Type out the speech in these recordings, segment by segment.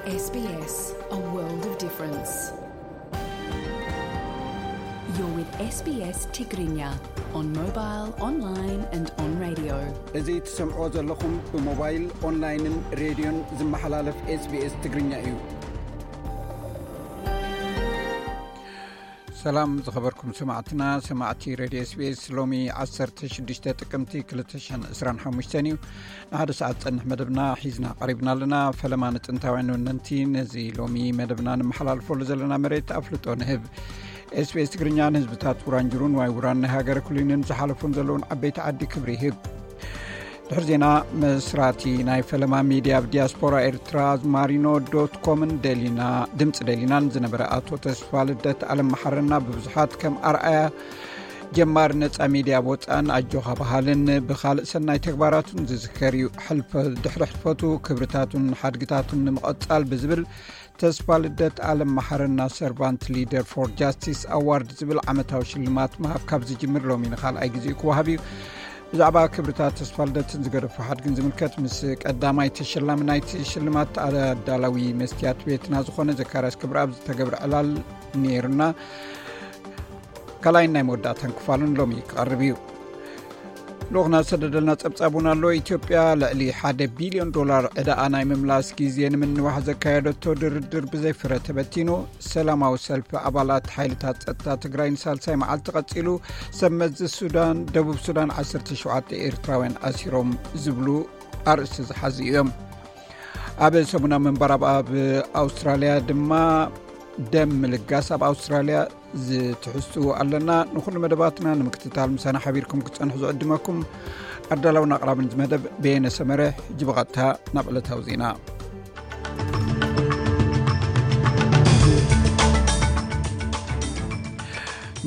S B S, a world of difference. You're with S B S Tigrinya on mobile, online and on radio. እዚ ትሰምዕዎ ዘለኹም ብሞባይል፣ ኦንላይንን ሬድዮን ዝመሓላለፍ S B S ትግርኛ እዩ። ሰላም ዝኸበርኩም ሰማዕትና፣ ሰማዕቲ ሬድዮ S B S፣ ሎሚ ዓሰርተ ሽዱሽተ ጥቅምቲ ክልተ ሽሕን ዕስራን ሓሙሽተን እዩ። ንሓደ ሰዓት ዝጸንሕ መደብና ሒዝና ቀሪብና ኣለና። ፈለማ ንጥንታውያን ወነንቲ ነዚ ሎሚ መደብና ንመሓላልፈሉ ዘለና መሬት ኣፍልጦ ንህብ። S B S ትግርኛ ንህዝብታት ውራንጅሩን ዋይ ውራን ናይ ሃገረ ኩሊንን ዝሓለፉን ዘለውን ዓበይቲ ዓዲ ክብሪ ይህብ። ድሕሪ ዜና፣ መስራቲ ናይ ፈለማ ሚድያ ኣብ ዲያስፖራ ኤርትራ ማሪኖ ዶት ኮምን ደሊና፣ ድምፂ ደሊናን ዝነበረ ኣቶ ተስፋ ልደት ኣለም መሓረና ብብዙሓት ከም ኣርኣያ ጀማሪ ነፃ ሚድያ ኣብ ወፃእን ኣጆኻ በሃልን ብኻልእ ሰናይ ተግባራቱን ዝዝከር እዩ። ሕልፈ-፣ ድሕሪ ሕልፈቱ ክብርታቱን ሓድግታቱን ንምቕጻል ብዝብል ተስፋ ልደት ኣለም መሓረና ሰርቫንት ሊደር ፎር ጃስቲስ ኣዋርድ ዝብል ዓመታዊ ሽልማት ምሃብ ካብ ዝጅምር ሎሚ ንኻልኣይ ግዜኡ ክወሃብ እዩ። ብዛዕባ ክብርታት ተስፋ ልደትን ዝገደፎ ሓድግን ዝምልከት ምስ ቀዳማይ ተሸላሚ ናይቲ ሽልማት ኣዳላዊ መስትያት ቤትና ዝኾነ ዘካርያስ ክብረኣብ ዝተገብረ ዕላል ነይሩና። ካልኣይን ናይ መወዳእታን ክፋሉን ሎሚ ክቐርብ እዩ። ልኡኽና ዝሰደደልና ጸብጻብ እውን ኣሎ። ኢትዮጵያ ልዕሊ ሓደ ቢልዮን ዶላር ዕዳኣ ናይ ምምላስ ግዜ ንምንዋሕ ዘካየደቶ ድርድር ብዘይ ፍረ ተበቲኑ። ሰላማዊ ሰልፊ ኣባላት ሓይልታት ጸጥታ ትግራይ ንሳልሳይ መዓልቲ ቀጺሉ። ሰብ መዚ ሱዳን፣ ደቡብ ሱዳን ዓሰርተ ሸውዓተ ኤርትራውያን ኣሲሮም ዝብሉ ኣርእስቲ ዝሓዙ እዮም። ኣብ ሰሙናዊ ምንባር ኣብ፣ ኣብ ኣውስትራልያ ድማ ደም ምልጋስ ኣብ ኣውስትራልያ ዝትሕዝትዎ ኣለና። ንኹሉ መደባትና ንምክትታል ምሳና ሓቢርኩም ክትጸንሑ ዝዕድመኩም ኣዳላውን ኣቕራብን እዚ መደብ በየነ ሰመረ። ሕጂ ብቐጥታ ናብ ዕለታዊ ዜና።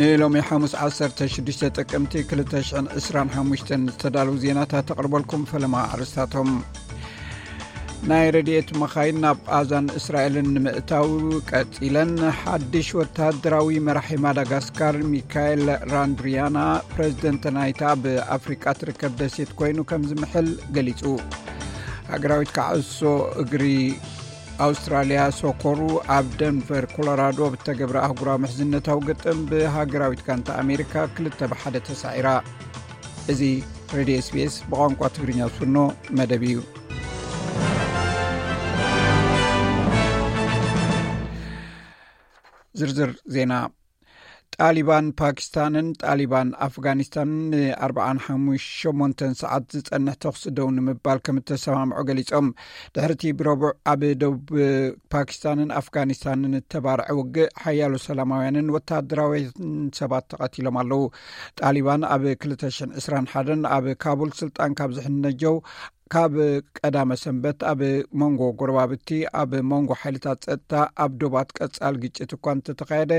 ንሎሚ ሓሙስ ዓሰርተ ሽዱሽተ ጥቅምቲ ክልተ ሽሕን ዕስራን ሓሙሽተን ዝተዳለዉ ዜናታት ተቕርበልኩም። ፈለማ ኣርእስታቶም። ናይ ረድኤት መኻይን ናብ ቓዛን እስራኤልን ንምእታው ቀጺለን። ሓድሽ ወተሃደራዊ መራሒ ማዳጋስካር ሚካኤል ራንድሪያና ፕሬዝደንት ናይታ ኣብ ኣፍሪቃ ትርከብ ደሴት ኮይኑ ከም ዝምሕል ገሊጹ። ሃገራዊት ካዕሶ እግሪ ኣውስትራልያ ሶኮሩ ኣብ ደንቨር ኮሎራዶ ብተገብረ ኣህጉራዊ ምሕዝነታዊ ግጥም ብሃገራዊት ጋንታ ኣሜሪካ ክልተ ብሓደ ተሳዒራ። እዚ ሬድዮ S B S ብቋንቋ ትግርኛ ዝፍኖ መደብ እዩ። ዝርዝር ዜና። ጣሊባን ፓኪስታንን ጣሊባን ኣፍጋኒስታንን ንኣርብዓን ሓሙሽተ ሸሞንተን ሰዓት ዝጸንሕ ተኹሲ ደው ንምባል ከም እተሰማምዑ ገሊጾም። ድሕሪቲ ብረቡዕ ኣብ ደቡብ ፓኪስታንን ኣፍጋኒስታንን እተባርዐ ውግእ ሓያሎ ሰላማውያንን ወተሃደራውያን ሰባት ተቐቲሎም ኣለዉ። ጣሊባን ኣብ ክልተ ሽሕን ዕስራን ሓደን ኣብ ካቡል ስልጣን ካብ ዝሕነጀው ካብ ቀዳመ ሰንበት ኣብ መንጎ ጎረባብቲ ኣብ መንጎ ሓይልታት ጸጥታ ኣብ ዶባት ቀጻል ግጭት እኳ እንተተኻየደ፣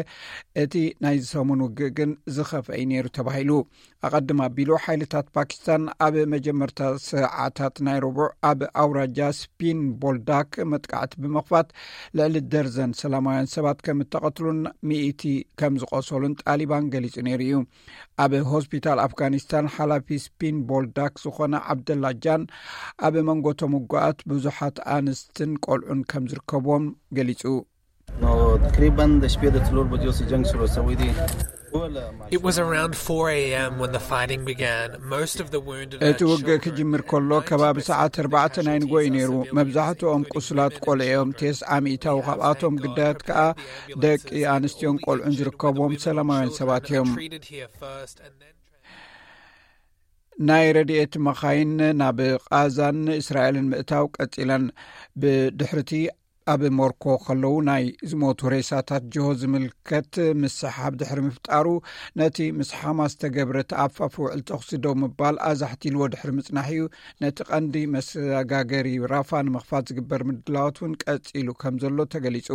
እቲ ናይዚ ሰሙን ውግእ ግን ዝኸፍአ እዩ ነይሩ ተባሂሉ። ኣቐድም ኣቢሉ ሓይልታት ፓኪስታን ኣብ መጀመርታ ሰዓታት ናይ ረቡዕ ኣብ ኣውራጃ ስፒን ቦልዳክ መጥቃዕቲ ብምኽፋት ልዕሊ ደርዘን ሰላማውያን ሰባት ከም እተቐትሉን ሚእቲ ከም ዝቖሰሉን ጣሊባን ገሊጹ ነይሩ እዩ። ኣብ ሆስፒታል ኣፍጋኒስታን ሓላፊ ስፒን ቦልዳክ ዝኾነ ዓብደላ ጃን ኣብ መንጎ እቶም ውጉኣት ብዙሓት ኣንስትን ቆልዑን ከም ዝርከብዎም ገሊጹ። نو تقریباً د شپې د څلور بجو سې جنگ شروع شوی دی. It was around four a.m. when the fighting began. Most of the wounded እቲ ውግእ ክጅምር ከሎ ከባቢ ሰዓት ኣርባዕተ ናይ ንጎ እዩ ነይሩ። መብዛሕትኦም ቁስላት ቆልዑ እዮም። ተስዓ ሚእታዊ ካብኣቶም ግዳያት ከኣ ደቂ ኣንስትዮን ቆልዑን ዝርከብዎም ሰላማውያን ሰባት እዮም። ናይ ረድኤት መኻይን ናብ ቓዛን እስራኤልን ምእታው ቀጺለን። ብድሕርቲ ኣብ ሞርኮ ከለዉ ናይ ዝሞቱ ሬሳታት ጅሆ ዝምልከት ምስሓብ ድሕሪ ምፍጣሩ፣ ነቲ ምስ ሓማስ ተገብረ ተኣፋፊ ውዕል ተኹሲ ደው ምባል ኣዛሕቲልዎ ድሕሪ ምጽናሕ እዩ። ነቲ ቀንዲ መሰጋገሪ ራፋ ንምኽፋት ዝግበር ምድላዋት እውን ቀጺሉ ከም ዘሎ ተገሊጹ።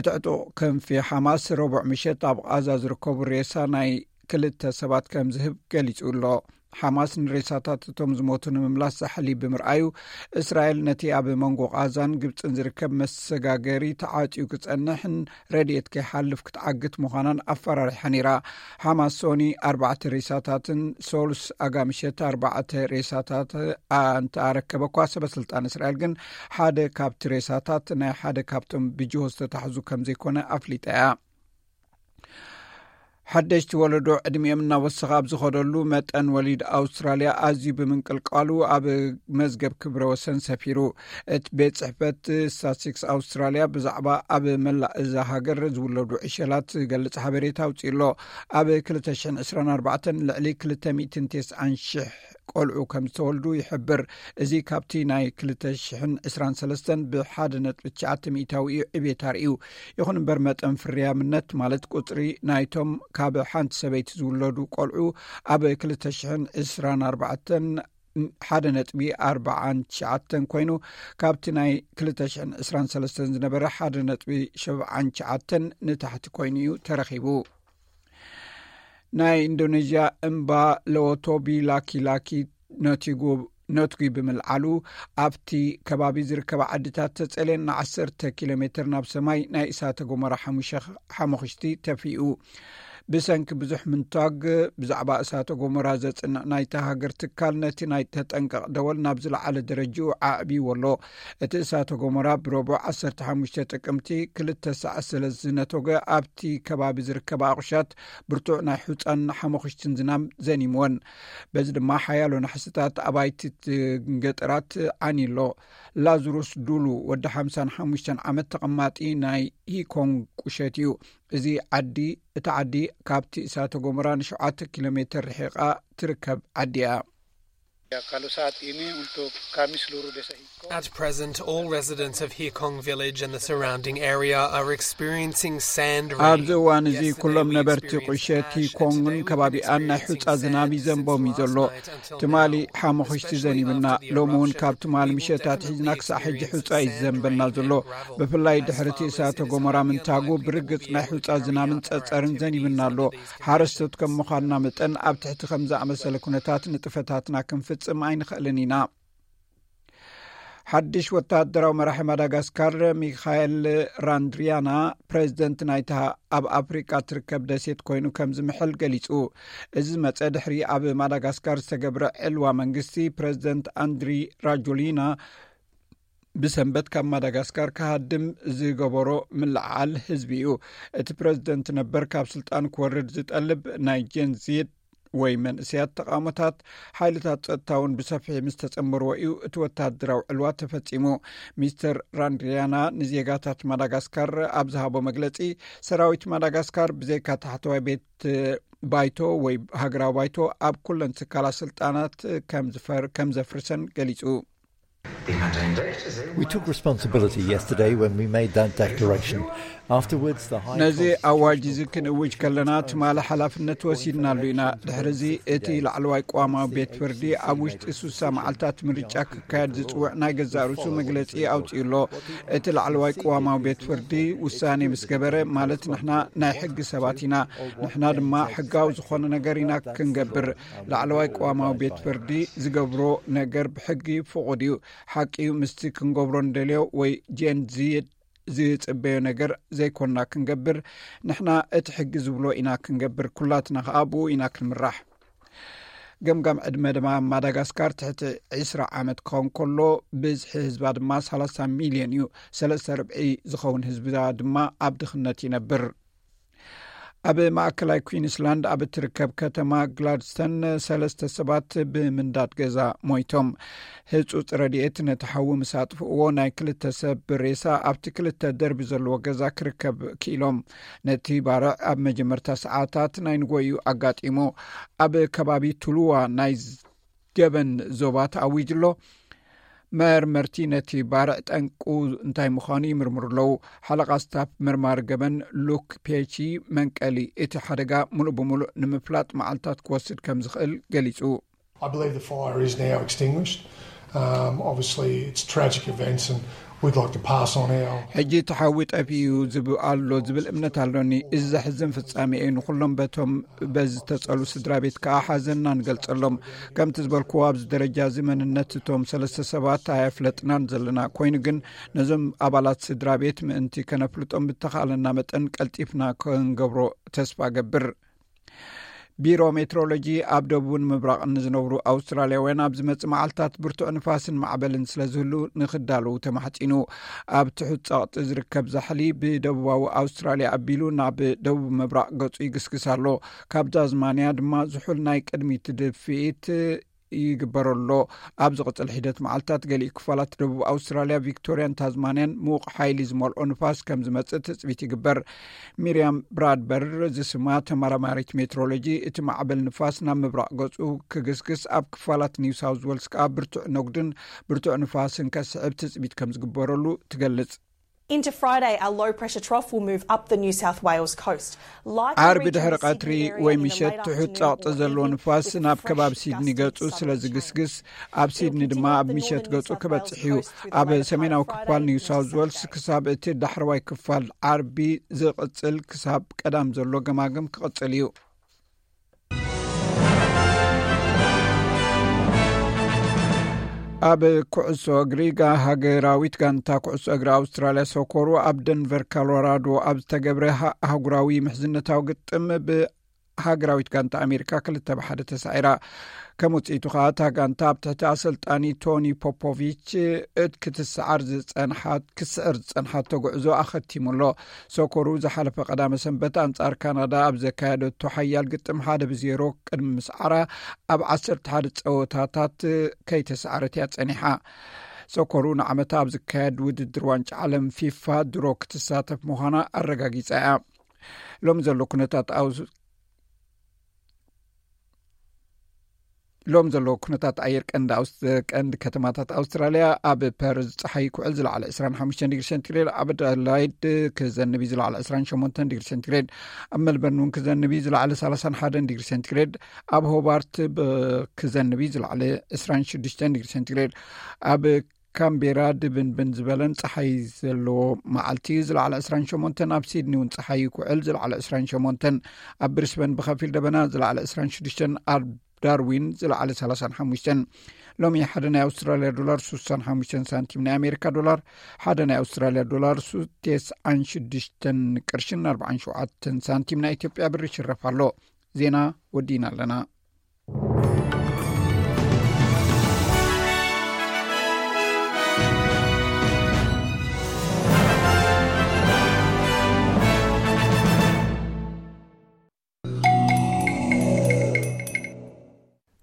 እቲ ዕጡቕ ክንፊ ሓማስ ረቡዕ ምሸት ኣብ ቓዛ ዝርከቡ ሬሳ ናይ ክልተ ሰባት ከም ዝህብ ገሊጹ ኣሎ። ሓማስ ንሬሳታት እቶም ዝሞቱ ንምምላስ ዛሕሊ ብምርኣዩ፣ እስራኤል ነቲ ኣብ መንጎ ቓዛን ግብጽን ዝርከብ መሰጋገሪ ተዓጽዩ ክጸንሕን ረድኤት ከይሓልፍ ክትዓግት ምዃናን ኣፈራሪሓ ነይራ። ሓማስ ሶኒ ኣርባዕተ ሬሳታትን ሶሉስ ኣጋምሸት ኣርባዕተ ሬሳታት ኣንተኣረከበ እኳ፣ ሰበ ስልጣን እስራኤል ግን ሓደ ካብቲ ሬሳታት ናይ ሓደ ካብቶም ብጅሆ ዝተታሕዙ ከም ዘይኮነ ኣፍሊጣ እያ። ሓደሽቲ ወለዶ ዕድሚኦም እናወሰኸ ኣብ ዝኸደሉ መጠን፣ ወሊድ ኣውስትራልያ ኣዝዩ ብምንቅልቃሉ ኣብ መዝገብ ክብረ ወሰን ሰፊሩ። እቲ ቤት ጽሕፈት ስታትስቲክስ ኣውስትራልያ ብዛዕባ ኣብ መላእ እዛ ሃገር ዝውለዱ ዕሸላት ዝገልጽ ሓበሬታ ኣውጺኡ ኣሎ። ኣብ ክልተ ሽሕን ዕስራን ኣርባዕተን ልዕሊ ክልተ ሚእትን ተስዓን ሽሕ ቆልዑ ከም ዝተወልዱ ይሕብር። እዚ ካብቲ ናይ ክልተ ሽሕን ዕስራን ሰለስተን ብሓደ ነጥቢ ትሽዓተ ሚእታዊ እዩ ዕቤት ኣርእዩ። ይኹን እምበር፣ መጠን ፍርያምነት፣ ማለት ቁጽሪ ናይቶም ካብ ሓንቲ ሰበይቲ ዝውለዱ ቆልዑ፣ ኣብ ክልተ ሽሕን ዕስራን ኣርባዕተን ሓደ ነጥቢ ኣርባዓን ትሽዓተን ኮይኑ፣ ካብቲ ናይ ክልተ ሽሕን ዕስራን ሰለስተን ዝነበረ ሓደ ነጥቢ ሸብዓን ትሽዓተን ንታሕቲ ኮይኑ እዩ ተረኺቡ። ናይ ኢንዶኔዥያ እምባ ለዎቶቢ ላኪ ላኪ ነቲጉ ነትጒ ብምልዓሉ፣ ኣብቲ ከባቢ ዝርከባ ዓድታት ተጸልየን ንዓሰርተ ኪሎ ሜትር ናብ ሰማይ ናይ እሳተ ጎመራ ሓሙሸ-፣ ሓሙኽሽቲ ተፊኡ። ብሰንኪ ብዙሕ ምንታግ ብዛዕባ እሳተ ጎመራ ዘጽንዕ ናይታ ሃገር ትካል፣ ነቲ ናይ ተጠንቀቕ ደወል ናብ ዝለዓለ ደረጃኡ ኣዕብይዎ ኣሎ። እቲ እሳተ ጎመራ ብረቡዕ ዓሰርተ ሓሙሽተ ጥቅምቲ ክልተ ሰዓት ስለ ዝነተጎ፣ ኣብቲ ከባቢ ዝርከባ ኣቑሻት ብርቱዕ ናይ ሑጻን ሓመኹሽትን ዝናም ዘኒምወን። በዚ ድማ ሓያሎ ናሕስታት ኣባይቲ ገጠራት ዓንዩ ኣሎ። ላዙሩስ ዱሉ ወዲ ሓምሳን ሓሙሽተን ዓመት ተቐማጢ ናይ ሂኮንግ ቁሸት እዩ። እዚ ዓዲ፣ እቲ ዓዲ ካብቲ እሳተ ጎመራ ንሸውዓተ ኪሎ ሜትር ርሒቓ ትርከብ ዓዲ እያ። Ya, kalau saat ini untuk kami seluruh desa Hikong. At present, all residents of Hikong village and the surrounding area are experiencing sand rain. ኣብዚ እዋን እዚ ኩሎም ነበርቲ ቁሸት ሂኮንግን ከባቢኣን ናይ ሑጻ ዝናብ ይዘንቦም እዩ ዘሎ። ትማሊ ሓመኹሽቲ ዘኒብና፣ ሎሚ እውን ካብ ትማሊ ምሸት ኣትሒዝና ክሳዕ ሕጂ ሑጻ እዩ ዝዘንበና ዘሎ። ብፍላይ ድሕሪ እቲ እሳተ ጎመራ ምንታጉ፣ ብርግጽ ናይ ሑጻ ዝናብን ጸጸርን ዘኒብና ኣሎ። ሓረስቶት ከም ምዃንና መጠን፣ ኣብ ትሕቲ ከም ዝኣመሰለ ኩነታት ንጥፈታትና ክንፍጽም ኣይንኽእልን ኢና። ሓድሽ ወተሃደራዊ መራሒ ማዳጋስካር ሚካኤል ራንድሪያና፣ ፕሬዚደንት ናይታ ኣብ ኣፍሪቃ ትርከብ ደሴት ኮይኑ ከም ዝምሕል ገሊጹ። እዚ ዝመጸ ድሕሪ ኣብ ማዳጋስካር ዝተገብረ ዕልዋ መንግስቲ፣ ፕሬዚደንት ኣንድሪ ራጆሊና ብሰንበት ካብ ማዳጋስካር ክሃድም ዝገበሮ ምልዕዓል ህዝቢ እዩ። እቲ ፕሬዚደንት ነበር ካብ ስልጣን ክወርድ ዝጠልብ ናይ ጀንዚድ ወይ መንእሰያት ተቓውሞታት፣ ሓይልታት ጸጥታ እውን ብሰፊሕ ምስ ተጸንበርዎ እዩ እቲ ወተሃደራዊ ዕልዋ ተፈጺሙ። ሚስተር ራንድሪያና ንዜጋታት ማዳጋስካር ኣብ ዝሃቦ መግለጺ፣ ሰራዊት ማዳጋስካር ብዘይካ ታሕተዋይ ቤት ባይቶ ወይ ሃገራዊ ባይቶ ኣብ ኩለን ትካላት ስልጣናት ከም ዝፈር-፣ ከም ዘፍርሰን ገሊጹ። We took responsibility yesterday when we made that declaration. Afterwards, the High ነዚ Constitutional ኣዋጅ እዚ ክንእውጅ ከለና፣ ትማሊ ሓላፍነት ወሲድናሉ ኢና። ድሕሪ እዚ እቲ ላዕለዋይ ቅዋማዊ ቤት ፍርዲ ኣብ ውሽጢ ሱሳ መዓልታት ምርጫ ክካየድ ዝጽውዕ ናይ ገዛእ ርእሱ መግለጺ ኣውጺኡ ኣሎ። እቲ ላዕለዋይ ቅዋማዊ ቤት ፍርዲ ውሳኔ ምስ ገበረ፣ ማለት ንሕና ናይ ሕጊ ሰባት ኢና። ንሕና ድማ ሕጋዊ ዝኾነ ነገር ኢና ክንገብር። ላዕለዋይ ቅዋማዊ ቤት ፍርዲ ዝገብሮ ነገር ብሕጊ ፍቑድ እዩ። ሓቂ እዩ፣ ምስቲ ክንገብሮ እንደልዮ ወይ ጀን ዚ ዝጽበዮ ነገር ዘይኮንና ክንገብር። ንሕና እቲ ሕጊ ዝብሎ ኢና ክንገብር፣ ኩላትና ኸኣ ብኡ ኢና ክንምራሕ። ገምጋም ዕድመ ድማ ማዳጋስካር ትሕቲ ዕስራ ዓመት ክኸውን ከሎ፣ ብዝሒ ህዝባ ድማ ሰላሳ ሚልዮን እዩ። ሰለስተ ርብዒ ዝኸውን ህዝባ ድማ ኣብ ድኽነት ይነብር። ኣብ ማእከላይ ኩዊንስላንድ ኣብ እትርከብ ከተማ ግላድስተን ሰለስተ ሰባት ብምንዳድ ገዛ ሞይቶም። ህጹጽ ረድኤት ነቲ ሓዊ ምስ ኣጥፍእዎ፣ ናይ ክልተ ሰብ ሬሳ ኣብቲ ክልተ ደርቢ ዘለዎ ገዛ ክርከብ ክኢሎም። ነቲ ባርዕ ኣብ መጀመርታ ሰዓታት ናይ ንጎዩ ኣጋጢሙ። ኣብ ከባቢ ቱሉዋ ናይ ገበን ዞባ ተኣዊጁ ኣሎ። መርመርቲ ነቲ ባርዕ ጠንቁ እንታይ ምዃኑ ይምርምሩ ኣለዉ። ሓለቓ ስታፍ መርማሪ ገበን ሉክ ፔቺ፣ መንቀሊ እቲ ሓደጋ ምሉእ ብምሉእ ንምፍላጥ መዓልታት ክወስድ ከም ዝኽእል ገሊጹ። I believe the fire is now extinguished. Um, obviously, it's tragic events, and we'd like to pass on our. ሕጂ ተሓዊ ጠፊኡ ዝብ ኣሎ ዝብል እምነት ኣሎኒ። እዚ ዘሕዝን ፍጻሜ እዩ። ንኹሎም በቶም በዚ ዝተጸሉ ስድራ ቤት ከኣ ሓዘንና ንገልጸሎም። ከምቲ ዝበልክዎ፣ ኣብዚ ደረጃ እዚ መንነት እቶም ሰለስተ ሰባት ኣየፍለጥናን ዘለና። ኮይኑ ግን፣ ነዞም ኣባላት ስድራ ቤት ምእንቲ ከነፍልጦም ብተኻእለና መጠን ቀልጢፍና ክንገብሮ ተስፋ ገብር። ቢሮ ሜትሮሎጂ፣ ኣብ ደቡብን ምብራቕን ንዝነብሩ ኣውስትራልያውያን ኣብ ዝመጽእ መዓልታት ብርቱዕ ንፋስን ማዕበልን ስለ ዝህሉ ንኽዳለዉ ተማሕጺኑ። ኣብ ትሑት ጸቕጢ ዝርከብ ዛሕሊ ብደቡባዊ ኣውስትራልያ ኣቢሉ ናብ ደቡብ ምብራቕ ገጹ ይግስግስ ኣሎ። ካብ ታዝማንያ ድማ ዝሑል ናይ ቅድሚት ድፍኢት ይግበረሎ። ኣብ ዝቕጽል ሒደት መዓልታት፣ ገሊኡ ክፋላት ደቡብ ኣውስትራልያ፣ ቪክቶርያን ታዝማንያን ምዉቕ ሓይሊ ዝመልኦ ንፋስ ከም ዝመጽእ ትጽቢት ይግበር። ሚርያም ብራድበር ዝስማ ተመራማሪት ሜትሮሎጂ፣ እቲ ማዕበል ንፋስ ናብ ምብራቕ ገጹ ክግስግስ፣ ኣብ ክፋላት ኒው ሳውዝ ዌልስ ከኣ ብርቱዕ ነጉድን ብርቱዕ ንፋስን ከስዕብ ትጽቢት ከም ዝግበረሉ ትገልጽ። Into Friday, a low pressure trough will move up the New South Wales coast. ዓርቢ ድሕሪ ቀትሪ ወይ ምሸት ትሑት ጸቕጢ ዘለዎ ንፋስ ናብ ከባቢ ሲድኒ ገጹ ስለ ዝግስግስ፣ ኣብ ሲድኒ ድማ ኣብ ምሸት ገጹ ክበጽሕ እዩ። ኣብ ሰሜናዊ ክፋል ኒው ሳውዝ ዌልስ ክሳብ እቲ ዳሕረዋይ ክፋል ዓርቢ ዝቕጽል ክሳብ ቀዳም ዘሎ ገማግም ክቕጽል እዩ። ኣብ ኩዕሶ እግሪ፣ ሃገራዊት ጋንታ ኩዕሶ እግሪ ኣውስትራልያ፣ ሶኮሩ፣ ኣብ ደንቨር ኮሎራዶ ኣብ ዝተገብረ ኣህጉራዊ ምሕዝነታዊ ግጥም ብሃገራዊት ጋንታ ኣሜሪካ ክልተ ብሓደ ተሳዒራ። ከም ውፅኢቱ ከዓ፣ እታ ጋንታ ኣብ ትሕቲ ኣሰልጣኒ ቶኒ ፖፖቪች ክትሰዓር ዝፀንሓት ክትስዕር ዝፀንሓቶ ጉዕዞ ኣኸቲሙ ኣሎ። ሶኮሩ ዝሓለፈ ቀዳመ ሰንበት ኣንጻር ካናዳ ኣብ ዘካየደቶ ሓያል ግጥም ሓደ ብዜሮ ቅድሚ ምስዓራ፣ ኣብ ዓሰርተ ሓደ ጸወታታት ከይተሳዕረት እያ ጸኒሓ። ሶኮሩ ንዓመታ ኣብ ዝካየድ ውድድር ዋንጫ ዓለም ፊፋ ድሮ ክትሳተፍ ምዃና ኣረጋጊጻ እያ። ሎሚ ዘሎ ኩነታት ኣውስ ሎም ዘሎ ኩነታት ኣየር ቀንዲ ኣውስ ቀንዲ ከተማታት ኣውስትራልያ፣ ኣብ ፐርዝ ጸሓይ ክውዕል ዝለዓለ ዕስራን ሓሙሽተን ዲግሪ ሴንቲግሬድ፣ ኣብ ኣደላይድ ክዘንብ እዩ ዝለዓለ ዕስራን ሸሞንተን ዲግሪ ሴንቲግሬድ፣ ኣብ መልበርን እውን ክዘንብ እዩ ዝለዓለ ሰላሳን ሓደን ዲግሪ ሴንቲግሬድ፣ ኣብ ሆባርት ክዘንብ እዩ ዝለዓለ ዕስራን ሽዱሽተን ዲግሪ ሴንቲግሬድ፣ ኣብ ካምቤራ ድብንብን ዝበለን ጸሓይ ዘለዎ መዓልቲ ዝለዓለ ዕስራን ሸሞንተን፣ ኣብ ሲድኒ እውን ጸሓይ ክውዕል ዝለዓለ ዕስራን ሸሞንተን፣ ኣብ ብሪስበን ብኸፊል ደበና ዝለዓለ ዕስራን ሽዱሽተን፣ ኣብ ዳርዊን ዝለዓለ ሰላሳን ሓሙሽተን። ሎሚ ሓደ ናይ ኣውስትራልያ ዶላር ስሳን ሓሙሽተን ሳንቲም፣ ናይ ኣሜሪካ ዶላር ሓደ ናይ ኣውስትራልያ ዶላር ቴስዓን ሽዱሽተን ቅርሽን ኣርባዓን ሸውዓተን ሳንቲም፣ ናይ ኢትዮጵያ ብር ይሽረፍ ኣሎ። ዜና ወዲእና ኣለና።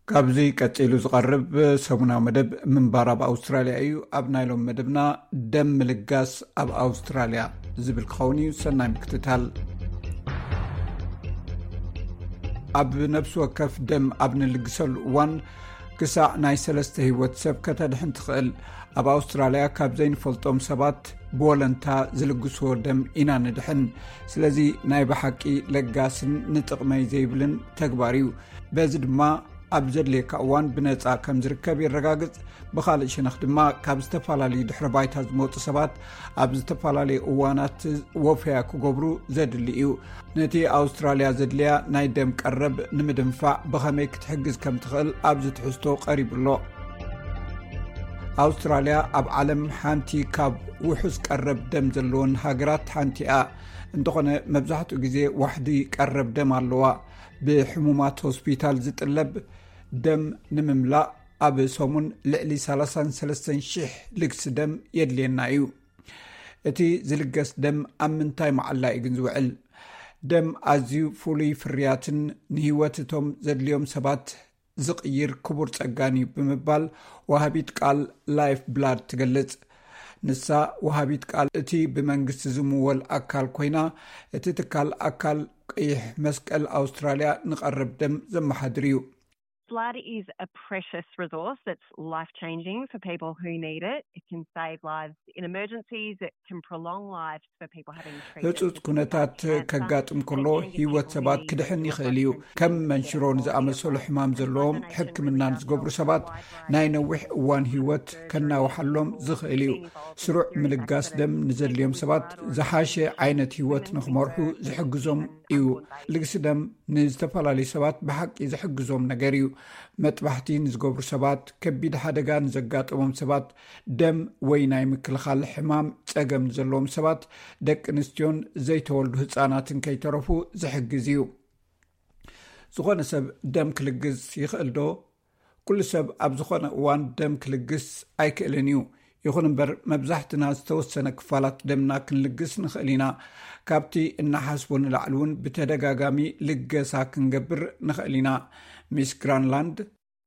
ካብዚ ቀጺሉ ዝቐርብ ሰሙናዊ መደብ ምንባር ኣብ ኣውስትራልያ እዩ። ኣብ ናይ ሎም መደብና፣ ደም ምልጋስ ኣብ ኣውስትራልያ ዝብል ክኸውን እዩ። ሰናይ ምክትታል። ኣብ ነፍሲ ወከፍ ደም ኣብ ንልግሰሉ እዋን፣ ክሳዕ ናይ ሰለስተ ህይወት ሰብ ከተድሕን ትኽእል። ኣብ ኣውስትራልያ ካብ ዘይንፈልጦም ሰባት ብወለንታ ዝልግስዎ ደም ኢና ንድሕን። ስለዚ ናይ ብሓቂ ለጋስን ንጥቕመይ ዘይብልን ተግባር እዩ። በዚ ድማ ኣብ ዘድልየካ እዋን ብነጻ ከም ዝርከብ የረጋግጽ። ብኻልእ ሸነኽ ድማ፣ ካብ ዝተፈላለዩ ድሕረ ባይታ ዝመጹ ሰባት ኣብ ዝተፈላለዩ እዋናት ወፈያ ክገብሩ ዘድሊ እዩ። ነቲ ኣውስትራልያ ዘድልያ ናይ ደም ቀረብ ንምድንፋዕ ብኸመይ ክትሕግዝ ከም ትኽእል ኣብዚ ትሕዝቶ ቀሪቡ ኣሎ። ኣውስትራልያ ኣብ ዓለም ሓንቲ ካብ ውሑስ ቀረብ ደም ዘለወን ሃገራት ሓንቲ እያ። እንተኾነ፣ መብዛሕትኡ ግዜ ዋሕዲ ቀረብ ደም ኣለዋ። ብሕሙማት ሆስፒታል ዝጥለብ ደም ንምምላእ፣ ኣብ ሰሙን ልዕሊ ሰላሳን ሰለስተን ሽሕ ልግሲ ደም የድልየና እዩ። እቲ ዝልገስ ደም ኣብ ምንታይ መዓላ እዩ ግን ዝውዕል? ደም ኣዝዩ ፍሉይ ፍርያትን ንህይወት እቶም ዘድልዮም ሰባት ዝቕይር ክቡር ጸጋን እዩ ብምባል ወሃቢት ቃል ላይፍ ብላድ ትገልጽ። ንሳ ወሃቢት ቃል እቲ ብመንግስቲ ዝምወል ኣካል ኮይና፣ እቲ ትካል ኣካል ቀይሕ መስቀል ኣውስትራልያ ንቐረብ ደም ዘመሓድር እዩ። Blood is a precious resource that's life changing for people who need it. It can save lives in emergencies, it can prolong lives for people having treatment. ህጹጽ ኩነታት ከጋጥም ከሎ ህይወት ሰባት ክድሕን ይኽእል እዩ። ከም መንሽሮ ንዝኣመሰሉ ሕማም ዘለዎም ሕክምና ንዝገብሩ ሰባት ናይ ነዊሕ እዋን ህይወት ከናውሓሎም ዝኽእል እዩ። ስሩዕ ምልጋስ ደም ንዘድልዮም ሰባት ዝሓሸ ዓይነት ህይወት ንኽመርሑ ዝሕግዞም እዩ። ልግሲ ደም ንዝተፈላለዩ ሰባት ብሓቂ ዝሕግዞም ነገር እዩ። መጥባሕቲ ንዝገብሩ ሰባት፣ ከቢድ ሓደጋ ንዘጋጠሞም ሰባት፣ ደም ወይ ናይ ምክልኻል ሕማም ጸገም ንዘለዎም ሰባት፣ ደቂ ኣንስትዮን ዘይተወልዱ ህጻናትን ከይተረፉ ዝሕግዝ እዩ። ዝኾነ ሰብ ደም ክልግስ ይኽእል ዶ? ኩሉ ሰብ ኣብ ዝኾነ እዋን ደም ክልግስ ኣይክእልን እዩ። ይኹን እምበር መብዛሕትና ዝተወሰነ ክፋላት ደምና ክንልግስ ንኽእል ኢና። ካብቲ እናሓስቦ ንላዕሊ እውን ብተደጋጋሚ ልገሳ ክንገብር ንኽእል ኢና። ሚስ ግራንላንድ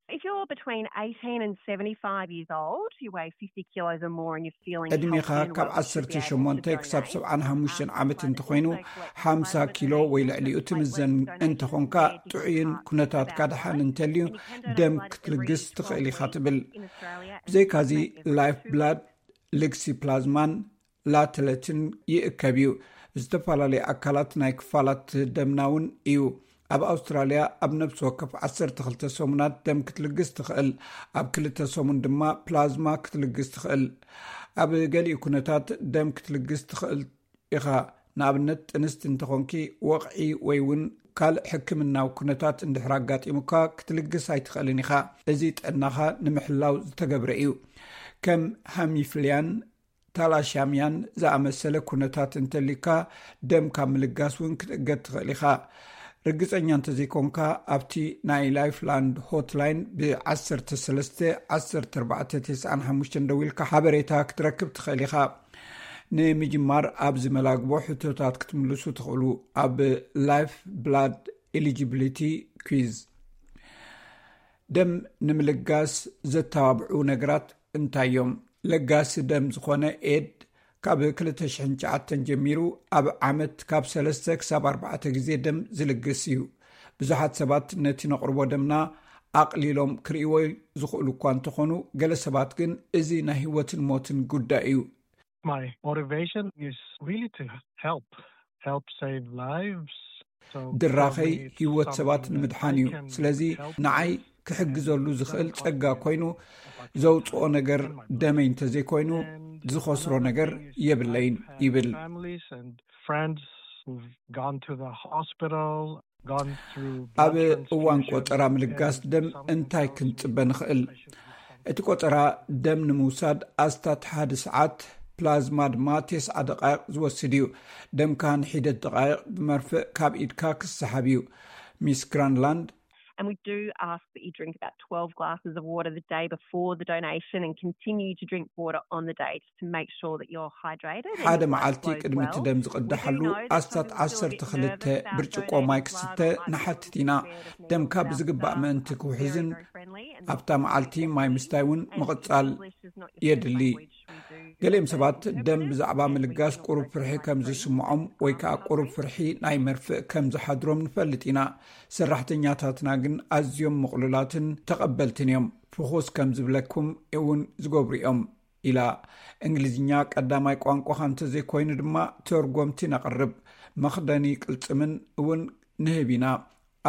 If you're between eighteen and seventy-five years old, you weigh fifty kilos or more and you're feeling ዕድሜኻ ካብ ዓሰርተ ሸሞንተ ክሳብ ሰብዓን ሓሙሽተን ዓመት እንተኾይኑ፣ ሓምሳ ኪሎ ወይ ልዕሊኡ ትምዘን እንተኾንካ፣ ጥዑይን ኩነታትካ ደሓን እንተልዩ፣ ደም ክትልግስ ትኽእል ኢኻ ትብል። ብዘይካዚ ላይፍ ብላድ፣ ልግሲ ፕላዝማን ላተለትን ይእከብ እዩ። ዝተፈላለዩ ኣካላት ናይ ክፋላት ደምና እውን እዩ። ኣብ ኣውስትራልያ ኣብ ነፍሲ ወከፍ ዓሰርተ ክልተ ሰሙናት ደም ክትልግስ ትኽእል። ኣብ ክልተ ሰሙን ድማ ፕላዝማ ክትልግስ ትኽእል። ኣብ ገሊኡ ኩነታት ደም ክትልግስ ትኽእል ኢኻ። ንኣብነት ጥንስቲ እንተኾንኪ፣ ወቕዒ ወይ እውን ካልእ ሕክምናዊ ኩነታት እንድሕር ኣጋጢሙካ ክትልግስ ኣይትኽእልን ኢኻ። እዚ ጥዕናኻ ንምሕላው ዝተገብረ እዩ። ከም ሃሚፍልያን ታላሻምያን ዝኣመሰለ ኩነታት እንተሊካ፣ ደም ካብ ምልጋስ እውን ክትእገድ ትኽእል ኢኻ። ርግጸኛ እንተዘይኮንካ፣ ኣብቲ ናይ ላይፍላንድ ሆትላይን ብ ዓሰርተ ሰለስተ ዓሰርተ ኣርባዕተ ተስዓን ሓሙሽተን ደዊልካ ሓበሬታ ክትረክብ ትኽእል ኢኻ። ንምጅማር ኣብዚ መላግቦ ሕቶታት ክትምልሱ ትኽእሉ። ኣብ ላይፍ ብላድ ኤሊጂቢሊቲ ኩዝ። ደም ንምልጋስ ዘተባብዑ ነገራት እንታይ እዮም? ለጋሲ ደም ዝኾነ ኤድ ካብ ክልተ ሽሕን ትሽዓተን ጀሚሩ ኣብ ዓመት ካብ ሰለስተ ክሳብ ኣርባዕተ ግዜ ደም ዝልግስ እዩ። ብዙሓት ሰባት ነቲ ነቕርቦ ደምና ኣቕሊሎም ክርእይዎ ዝኽእሉ እኳ እንተኾኑ፣ ገለ ሰባት ግን እዚ ናይ ህይወትን ሞትን ጉዳይ እዩ። My motivation is really to help, help save lives. So ድራኸይ for me, it's ህይወት ሰባት something ንምድሓን that እዩ። I can ስለዚ help ንዓይ ክሕግዘሉ ዝኽእል ጸጋ ኮይኑ፣ ዘውጽኦ ነገር ደመይ እንተዘይኮይኑ፣ ዝኸስሮ ነገር የብለይን ይብል። Families and friends who've gone to the hospital, gone through ኣብ blood እዋን transfusions, ቆጠራ ምልጋስ and ደም something እንታይ else ክንጽበ we ንኽእል? should do something. እቲ ቆጠራ ደም ንምውሳድ ኣስታት ሓደ ሰዓት፣ ፕላዝማ ድማ ተስዓ ደቃይቕ ዝወስድ እዩ። ደምካ ንሒደት ደቃይቕ ብመርፍእ ካብ ኢድካ ክሰሓብ እዩ። ሚስ ግራንላንድ And we do ask that you drink about twelve glasses of water the day before the donation and continue to drink water on the day just to make sure that you're hydrated. And ሓደ your blood መዓልቲ flows ቅድሚ እቲ well. ደም We do ዝቕዳሓሉ know that some of ኣስታት them are still a ዓሰርተ bit ክልተ nervous about ብርጭቆ donating ማይ blood, ክስተ might be ንሓትት concerned ኢና። about their ደምካ health, ብዝግባእ about ምእንቲ being ክውሕዝን very friendly and ኣብታ መዓልቲ ማይ ምስታይ እውን and ምቕጻል English is not your የድሊ። first language. We do ገሊኦም explain ሰባት interpreting ደም it ብዛዕባ and we ምልጋስ do ቁሩብ explain ፍርሒ it ከም free ዝስምዖም ወይ ከዓ um, ቁሩብ free. ፍርሒ ናይ መርፍእ ከም ዝሓድሮም ንፈልጥ ኢና። ሰራሕተኛታትና ግን ኣዝዮም ምቕሉላትን ተቐበልትን እዮም። ፍኹስ ከም ዝብለኩም እውን ዝገብሩ እዮም ኢላ። እንግሊዝኛ ቀዳማይ ቋንቋኻ እንተዘይኮይኑ ድማ ተርጎምቲ ነቕርብ። መኽደኒ ቅልጽምን እውን ንህብ ኢና።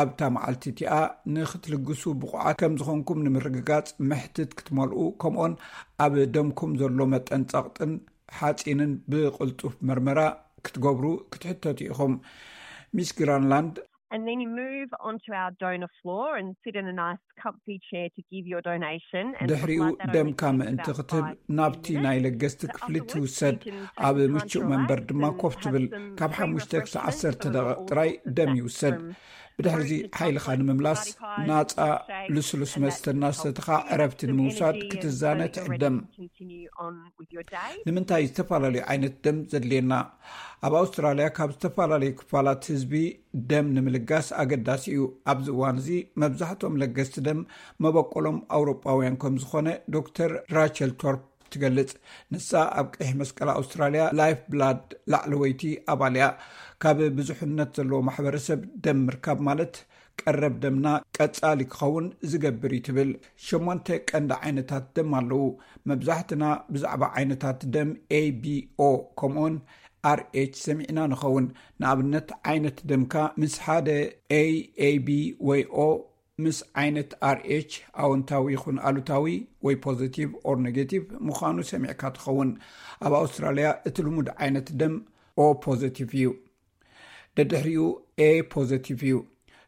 ኣብታ መዓልቲ እቲኣ ንክትልግሱ ብቑዓት ከም ዝኾንኩም ንምርግጋጽ መሕትት ክትመልኡ፣ ከምኡውን ኣብ ደምኩም ዘሎ መጠን ጸቕጥን ሓጺንን ብቕልጡፍ መርመራ ክትገብሩ ክትሕተቱ ኢኹም። ሚስ ግራንላንድ And then you move onto our donor floor and sit in a nice comfy chair to give your donation. And for ድሕሪኡ blood that only ደምካ takes ምእንቲ about ክትህብ five ናብቲ minutes. ናይ ለገስቲ ክፍሊ ትውሰድ። ኣብ ምቹእ መንበር ድማ ኮፍ ትብል። ካብ ሓሙሽተ ክሳብ ዓሰርተ ደቂቕ ጥራይ ደም ይውሰድ። ብድሕሪዚ ሓይልኻ ንምምላስ ናጻ ልስሉስ መስተ እናሰተኻ ዕረፍቲ ንምውሳድ ክትዛነ ትዕደም። ንምንታይ ዝተፈላለዩ ዓይነት ደም ዘድልየና? ኣብ ኣውስትራልያ ካብ ዝተፈላለዩ ክፋላት ህዝቢ ደም ንምልጋስ ኣገዳሲ እዩ። ኣብዚ እዋን እዚ መብዛሕትኦም ለገስቲ ደም መበቆሎም ኣውሮጳውያን ከም ዝኾነ ዶክተር ራቸል ቶርፕ ትገልጽ። ንሳ ኣብ ቀይሕ መስቀል ኣውስትራልያ ላይፍ ብላድ ላዕለወይቲ ኣባል እያ። ካብ ብዙሕነት ዘለዎ ማሕበረሰብ ደም ምርካብ ማለት ቀረብ ደምና ቀጻሊ ክኸውን ዝገብር እዩ ትብል። ሸሞንተ ቀንዲ ዓይነታት ደም ኣለዉ። መብዛሕትና ብዛዕባ ዓይነታት ደም A B O ከምኡውን R H ሰሚዕና ንኸውን። ንኣብነት ዓይነት ደምካ ምስ ሓደ A A B ወይ O ምስ ዓይነት R H ኣወንታዊ ይኹን ኣሉታዊ ወይ positive or negative ምዃኑ ሰሚዕካ ትኸውን። ኣብ ኣውስትራልያ እቲ ልሙድ ዓይነት ደም O positive እዩ። ደድሕሪኡ A positive እዩ።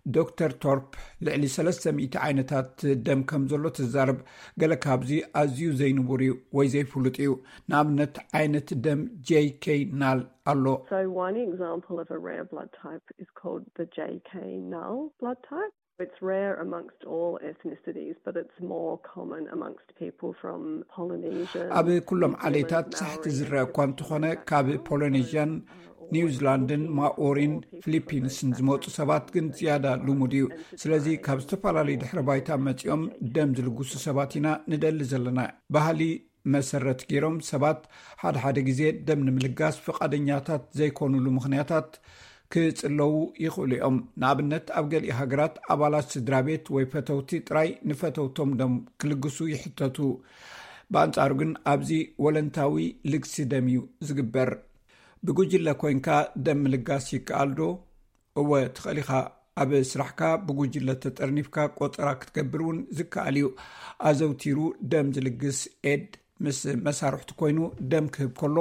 ዶክተር ቶርፕ ልዕሊ ሰለስተ ሚእቲ ዓይነታት ደም ከም ዘሎ ትዛረብ። ገለ ካብዚ ኣዝዩ ዘይንቡር እዩ ወይ ዘይፍሉጥ እዩ። ንኣብነት ዓይነት ደም J K null ኣሎ። So one example of a rare blood type is called the J K null blood type. It's rare amongst all ethnicities, but it's more common amongst people from Polynesia. ኣብ ኩሎም ዓሌታት ሳሕቲ ዝረአ እኳ እንተኾነ ካብ ፖሊኔዥያን፣ ኒውዚላንድን፣ ማኦሪን፣ ፊሊፒንስን ዝመፁ ሰባት ግን ዝያዳ ልሙድ እዩ። ስለዚ ካብ ዝተፈላለዩ ድሕረ ባይታ መፂኦም ደም ዝልግሱ ሰባት ኢና ንደሊ ዘለና። ባህሊ መሰረት ገይሮም ሰባት ሓደ ሓደ ግዜ ደም ንምልጋስ ፍቓደኛታት ዘይኮኑሉ ምኽንያታት ክጽለዉ ይኽእሉ እዮም። ንኣብነት ኣብ ገሊኡ ሃገራት ኣባላት ስድራ ቤት ወይ ፈተውቲ ጥራይ ንፈተውቶም ደም ክልግሱ ይሕተቱ። ብኣንጻሩ ግን ኣብዚ ወለንታዊ ልግሲ ደም እዩ ዝግበር። ብጉጅለ ኮይንካ ደም ምልጋስ ይከኣል ዶ? እወ ትኽእል ኢኻ። ኣብ ስራሕካ ብጉጅለ ተጠርኒፍካ ቆጸራ ክትገብር እውን ዝከኣል እዩ። ኣዘውቲሩ ደም ዝልግስ ኤድ ምስ መሳርሕቱ ኮይኑ ደም ክህብ ከሎ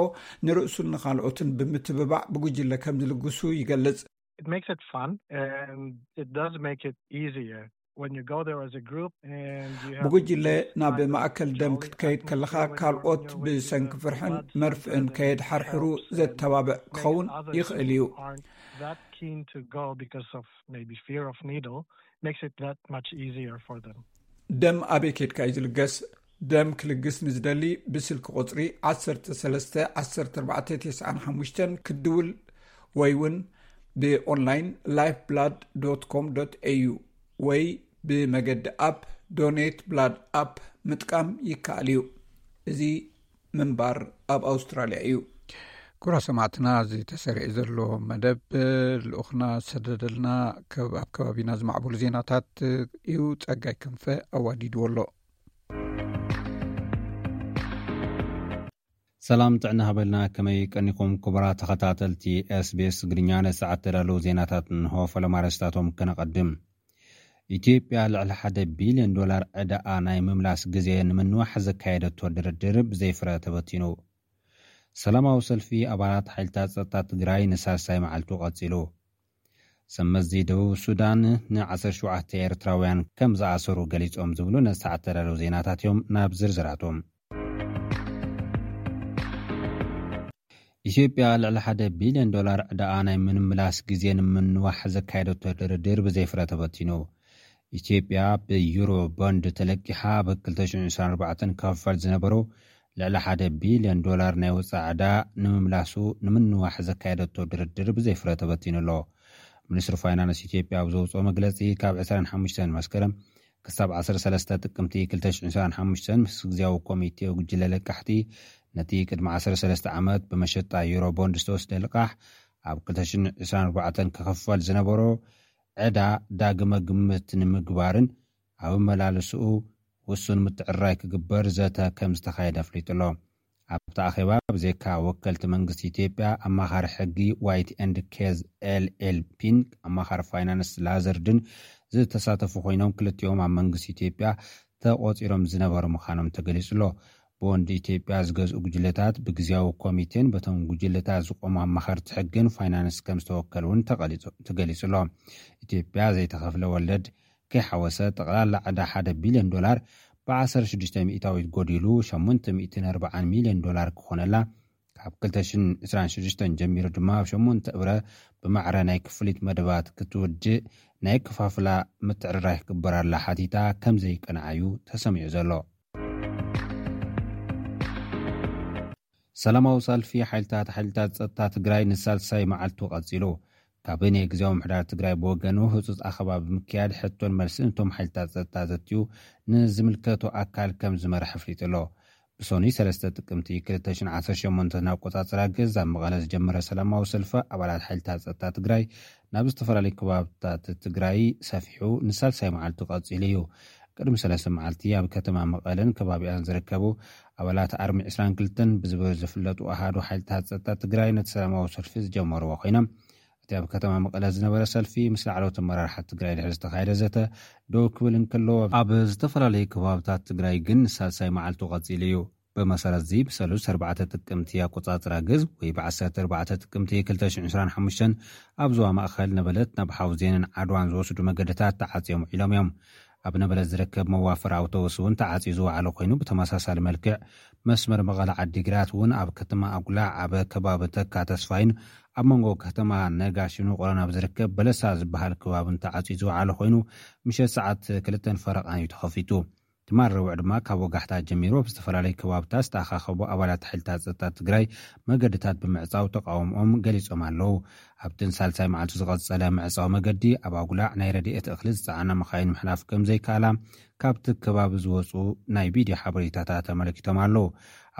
ንርእሱን ንኻልኦትን ብምትብባዕ ብጉጅለ ከም ዝልግሱ ይገልጽ። It makes it fun and it does make it easier when you go there as a group and you have ብጉጅለ ናብ ማእከል ደም ክትከይድ ከለኻ ካልኦት ብሰንኪ ፍርሕን መርፍእን ከየድሓርሕሩ ዘተባብዕ ክኸውን ይኽእል እዩ። That keen to go because of maybe fear of needle makes it that much easier for them. ደም ኣበይ ኬድካ እዩ ዝልገስ? ደም ክልግስ ንዝደሊ ብስልኪ ቁጽሪ ዓሰርተ ሰለስተ ዓሰርተ ኣርባዕተ ተስዓን ሓሙሽተን ክድውል ወይ እውን ብኦንላይን lifeblood.com.au ወይ ብመገዲ ኣፕ Donate Blood ኣፕ ምጥቃም ይከኣል እዩ። እዚ ምንባር ኣብ ኣውስትራልያ እዩ። ክቡራ ሰማዕትና፣ እዚ ተሰሪዑ ዘሎ መደብ ልኡኽና ዝሰደደልና ኣብ ከባቢና ዝማዕበሉ ዜናታት እዩ። ጸጋይ ክንፈ ኣዋዲድዎ ኣሎ። ሰላም ጥዕና ሃበልና። ከመይ ቀኒኹም ክቡራት ተኸታተልቲ SBS ትግርኛ? ነሰዓት ተዳለዉ ዜናታት እንሆ። ፈለማ ኣርእስታቶም ከነቐድም። ኢትዮጵያ ልዕሊ ሓደ ቢልዮን ዶላር ዕዳኣ ናይ ምምላስ ግዜ ንምንዋሕ ዘካየደቶ ድርድር ብዘይፍረ ተበቲኑ። ሰላማዊ ሰልፊ ኣባላት ሓይልታት ጸጥታ ትግራይ ንሳልሳይ መዓልቱ ቀጺሉ። ሰመዚ ደቡብ ሱዳን ን ዓሰርተ ሸውዓተ ኤርትራውያን ከም ዝኣሰሩ ገሊጾም ዝብሉ ነሰዓት ተዳለዉ ዜናታት እዮም። ናብ ዝርዝራቶም። ኢትዮጵያ ልዕሊ ሓደ ቢልዮን ዶላር ዕዳኣ ናይ ምምላስ ግዜ ንምንዋሕ ዘካየደቶ ድርድር ብዘይፍረ ተበቲኑ። ኢትዮጵያ ብዩሮ ቦንድ ተለቂሓ ኣብ ክልተ ሽሕን ዕስራን ኣርባዕተን ክኽፈል ዝነበሮ ልዕሊ ሓደ ቢልዮን ዶላር ናይ ወጻኢ ዕዳ ንምምላሱ ንምንዋሕ ዘካየደቶ ድርድር ብዘይፍረ ተበቲኑ ኣሎ። ሚኒስትሪ ፋይናንስ ኢትዮጵያ ኣብ ዘውፅኦ መግለፂ፣ ካብ ዕስራን ሓሙሽተን መስከረም ክሳብ ዓሰርተ ሰለስተ ጥቅምቲ ክልተ ሽሕን ዕስራን ሓሙሽተን ምስ ግዝያዊ ኮሚቴ ጉጅለ ለቃሕቲ ነቲ ቅድሚ ዓሰርተ ሰለስተ ዓመት ብመሸጣ ዩሮ ቦንድ ዝተወስደ ልቃሕ ኣብ ክልተ ሽሕን ዕስራን ኣርባዕተን ክኽፈል ዝነበሮ ዕዳ ዳግመ ግምት ንምግባርን ኣብ ኣመላልስኡ ውሱን ምትዕርራይ ክግበር ዘተ ከም ዝተኻየደ ኣፍሊጡ ኣሎ። ኣብቲ ኣኼባ ብዘይካ ወከልቲ መንግስቲ ኢትዮጵያ፣ ኣማኻሪ ሕጊ ዋይት ኤንድ ኬዝ ኤል ኤል ፒን ኣማኻሪ ፋይናንስ ላዘርድን ዝተሳተፉ ኮይኖም፣ ክልቲኦም ኣብ መንግስቲ ኢትዮጵያ ተቖጺሮም ዝነበሩ ምዃኖም ተገሊጹ ኣሎ። ቦንድ ኢትዮጵያ ዝገዝኡ ጉጅለታት ብግዝያዊ ኮሚቴን በቶም ጉጅለታት ዝቖሙ ኣማኸርቲ ሕግን ፋይናንስ ከም ዝተወከሉ እውን ተቐሊጹ- ተገሊጹ ኣሎ። ኢትዮጵያ ዘይተኸፍለ ወለድ ከይሓወሰ ጠቕላላ ዕዳ ሓደ ቢልዮን ዶላር ብ ዓሰርተ ሽዱሽተ ሚእታዊት ጎዲሉ ሸሞንተ ሚእትን ኣርባዓን ሚልዮን ዶላር ክኾነላ፣ ካብ ክልተ ሽሕን ዕስራን ሽዱሽተን ጀሚሩ ድማ ኣብ ሸሞንተ እብረ ብማዕረ ናይ ክፍሊት መደባት ክትውድእ ናይ ክፋፍላ ምትዕርራይ ክግበረላ ሓቲታ ከም ዘይቀንዓ እዩ ተሰሚዑ ዘሎ። ሰላማዊ ሰልፊ ሓይልታት ሓይልታት ጸጥታ ትግራይ ንሳልሳይ መዓልቱ ቀጺሉ። ካቢኔ ግዝያዊ ምምሕዳር ትግራይ ብወገኑ ህጹጽ ኣኸባ ብምክያድ ሕቶን መልስን እቶም ሓይልታት ጸጥታ ዘትዩ ንዝምልከቶ ኣካል ከም ዝመርሕ ኣፍሊጡ ኣሎ። ሶኒ ሰለስተ ጥቅምቲ ክልተ ሽሕን ዓሰርተ ሸሞንተን ኣቆጻጽራ ገዝ ኣብ መቐለ ዝጀመረ ሰላማዊ ሰልፊ ኣባላት ሓይልታት ጸጥታ ትግራይ ናብ ዝተፈላለዩ ከባብታት ትግራይ ሰፊሑ ንሳልሳይ መዓልቱ ቀጺሉ እዩ። ቅድሚ ሰለስተ መዓልቲ ኣብ ከተማ መቐለን ከባቢኣን ዝርከቡ ኣባላት ኣርሚ ዕስራን ክልተን ብዝበሉ ዝፍለጡ ኣሃዱ ሓይልታት ጸጥታ ትግራይ ነቲ ሰላማዊ ሰልፊ ዝጀመርዎ ኮይኖም፣ እቲ ኣብ ከተማ መቐለ ዝነበረ ሰልፊ ምስ ላዕለዎት ኣመራርሓ ትግራይ ድሕሪ ዝተኻየደ ዘተ ደው ክብል እንከሎ፣ ኣብ ዝተፈላለዩ ከባብታት ትግራይ ግን ንሳልሳይ መዓልቱ ቀጺሉ እዩ። ብመሰረት እዚ ብሰሉስ ኣርባዕተ ጥቅምቲ ኣቆጻጽራ ግዝ ወይ ብ ዓሰርተ ኣርባዕተ ጥቅምቲ ክልተ ሽሕን ዕስራን ሓሙሽተን ኣብ ዞባ ማእኸል ነበለት ናብ ሓውዜንን ዓድዋን ዝወስዱ መገድታት ተዓጽዮም ውዒሎም እዮም። ኣብ ነበለት ዝርከብ መዋፈር ኣውቶቡስ እውን ተዓጽዩ ዝወዓለ ኮይኑ፣ ብተመሳሳሊ መልክዕ መስመር መቐለ ዓዲግራት እውን ኣብ ከተማ ኣጉላዕ ኣብ ከባቢ ተካ ተስፋይን ኣብ መንጎ ከተማ ነጋሽን ውቕሮን ኣብ ዝርከብ በለሳ ዝበሃል ከባብን ተዓጽዩ ዝወዓለ ኮይኑ፣ ምሸት ሰዓት ክልተን ፈረቓን እዩ ተኸፊቱ። ትማል ረቡዕ ድማ ካብ ወጋሕታ ጀሚሩ ኣብ ዝተፈላለዩ ከባብታት ዝተኣኻኸቡ ኣባላት ሓይልታት ጸጥታ ትግራይ መገድታት ብምዕጻው ተቃውሞኦም ገሊጾም ኣለዉ። ኣብቲ ንሳልሳይ መዓልቱ ዝቐጸለ ምዕጻው መገዲ ኣብ ኣጉላዕ ናይ ረድኤት እኽሊ ዝጸዓና መኻይን ምሕላፍ ከም ዘይከኣላ ካብቲ ከባቢ ዝወጹ ናይ ቪድዮ ሓበሬታታት ኣመልኪቶም ኣለዉ።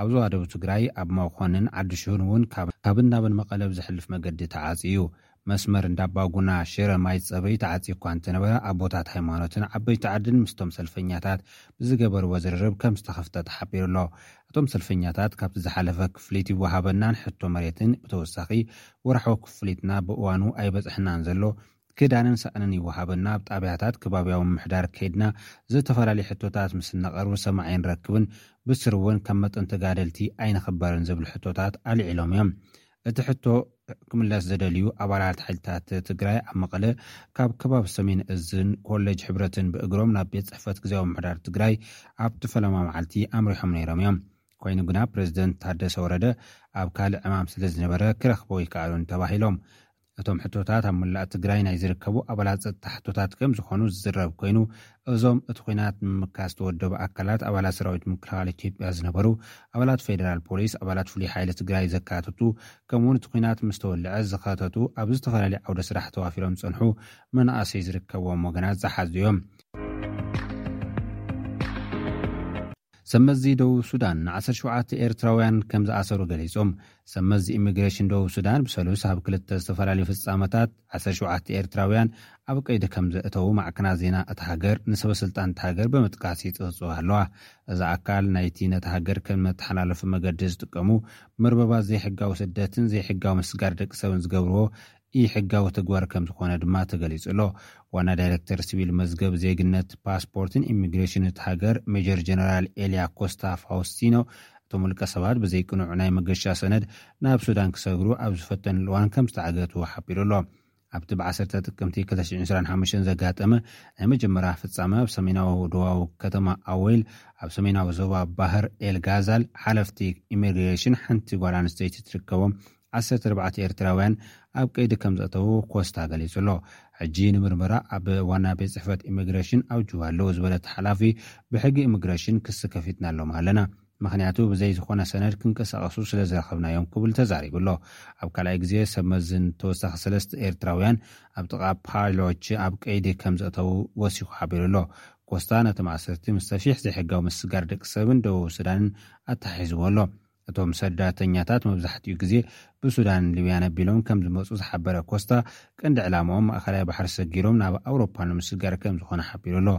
ኣብ ዞባ ደቡብ ትግራይ ኣብ መኾንን ዓዲ ሽሁን እውን ካብ፣ ካብን ናብን መቐለ ብዝሕልፍ መገዲ ተዓጽዩ እዩ። መስመር እንዳባጉና ሽረ ማይ ጸበይ ተዓጽዩ እኳ እንተነበረ፣ ኣቦታት ሃይማኖትን ዓበይቲ ዓድን ምስቶም ሰልፈኛታት ብዝገበርዎ ዝርርብ ከም ዝተኸፍተ ተሓቢሩ ኣሎ። እቶም ሰልፈኛታት ካብቲ ዝሓለፈ ክፍሊት ይወሃበናን ሕቶ መሬትን ብተወሳኺ ወርሓዊ ክፍሊትና ብእዋኑ ኣይበጽሕናን ዘሎ፣ ክዳንን ሳእንን ይወሃበና፣ ኣብ ጣብያታት ከባቢያዊ ምምሕዳር ከይድና ዝተፈላለዩ ሕቶታት ምስ እነቐርብ ሰማዒ ኣይንረክብን፣ ብስሩ እውን ከም መጠን ተጋደልቲ ኣይንኽበርን ዝብል ሕቶታት ኣልዒሎም እዮም። እቲ ሕቶ ክምለስ ዝደልዩ ኣባላት ሓይልታት ትግራይ ኣብ መቐለ ካብ ከባቢ ሰሜን እዝን ኮሌጅ ሕብረትን ብእግሮም ናብ ቤት ጽሕፈት ግዝያዊ ምምሕዳር ትግራይ ኣብቲ ፈለማ መዓልቲ ኣምሪሖም ነይሮም እዮም። ኮይኑ ግና ፕሬዝደንት ታደሰ ወረደ ኣብ ካልእ ዕማም ስለ ዝነበረ ክረኽቦ ኣይከኣሉን ተባሂሎም። እቶም ሕቶታት ኣብ መላእ ትግራይ ናይ ዝርከቡ ኣባላት ጸጥታ ሕቶታት ከም ዝኾኑ ዝዝረብ ኮይኑ፣ እዞም እቲ ኲናት ንምምካት ዝተወደቡ ኣካላት ኣባላት ሰራዊት ምክልኻል ኢትዮጵያ ዝነበሩ፣ ኣባላት ፌደራል ፖሊስ፣ ኣባላት ፍሉይ ሓይሊ ትግራይ ዘካትቱ፣ ከምኡውን እቲ ኲናት ምስ ተወልዐ ዝኸተቱ ኣብ ዝተፈላለዩ ዓውደ ስራሕ ተዋፊሮም ዝጸንሑ መናእሰይ ዝርከብዎም ወገናት ዝሓዙ እዮም። ሰመዚ ደቡብ ሱዳን ን ዓሰርተ ሸውዓተ ኤርትራውያን ከም ዝኣሰሩ ገሊጾም። ሰመዚ ኢሚግሬሽን ደቡብ ሱዳን ብሰሉስ ኣብ ክልተ ዝተፈላለዩ ፍጻመታት ዓሰርተ ሸውዓተ ኤርትራውያን ኣብ ቀይዲ ከም ዘእተዉ ማዕከናት ዜና እታ ሃገር ንሰበ ስልጣን እታ ሃገር ብምጥቃስ ይጽህጹ ኣለዋ። እዚ ኣካል ናይቲ ነታ ሃገር ከም መተሓላለፊ መገዲ ዝጥቀሙ መርበባት ዘይሕጋዊ ስደትን ዘይሕጋዊ ምስጋር ደቂ ሰብን ዝገብርዎ ኢ-ሕጋዊ ተግባር ከም ዝኾነ ድማ ተገሊጹ ኣሎ። ዋና ዳይሬክተር ሲቪል መዝገብ ዜግነት፣ ፓስፖርትን ኢሚግሬሽን እቲ ሃገር ሜጀር ጀነራል ኤልያ ኮስታ ፋውስቲኖ፣ እቶም ውልቀ ሰባት ብዘይቅኑዕ ናይ መገሻ ሰነድ ናብ ሱዳን ክሰግሩ ኣብ ዝፈተንሉ እዋን ከም ዝተዓገቱ ሓቢሩ ኣሎ። ኣብቲ ብ ዓሰርተ ጥቅምቲ ክልተ ሽሕን ዕስራን ሓሙሽተን ዘጋጠመ ናይ መጀመርያ ፍጻመ፣ ኣብ ሰሜናዊ ደቡባዊ ከተማ ኣዌል፣ ኣብ ሰሜናዊ ዞባ ባህር ኤል ጋዛል፣ ሓለፍቲ ኢሚግሬሽን ሓንቲ ጓል ኣንስተይቲ ትርከቦም ዓሰርተ ኣርባዕተ ኤርትራውያን ኣብ ቀይዲ ከም ዘእተዉ ኮስታ ገሊጹ ኣሎ። ሕጂ ንምርመራ ኣብ ዋና ቤት ጽሕፈት ኢሚግሬሽን ኣብ ጁባ ኣለዉ ዝበለ እቲ ሓላፊ፣ ብሕጊ ኢሚግሬሽን ክሲ ከፊትና ኣሎም ኣለና፣ ምኽንያቱ ብዘይ ዝኾነ ሰነድ ክንቀሳቐሱ ስለ ዝረኸብናዮም ክብል ተዛሪቡ ኣሎ። ኣብ ካልኣይ ግዜ ሰብ መዝን ተወሳኺ ሰለስተ ኤርትራውያን ኣብ ጥቓ ፓሎች ኣብ ቀይዲ ከም ዘእተዉ ወሲኹ ሓቢሩ ኣሎ። ኮስታ ነቲ ማእሰርቲ ምስ ሰፊሕ ዘይሕጋዊ ምስጋር ደቂ ሰብን ደቡብ ሱዳንን ኣተሓሒዝዎ ኣሎ። እቶም ሰዳተኛታት መብዛሕትኡ ግዜ ብሱዳን ሊብያን ኣቢሎም ከም ዝመጹ ዝሓበረ ኮስታ፣ ቀንዲ ዕላማኦም ማእኸላይ ባሕሪ ሰጊሮም ናብ ኣውሮፓ ንምስጋር ከም ዝኾነ ሓቢሩ ኣሎ።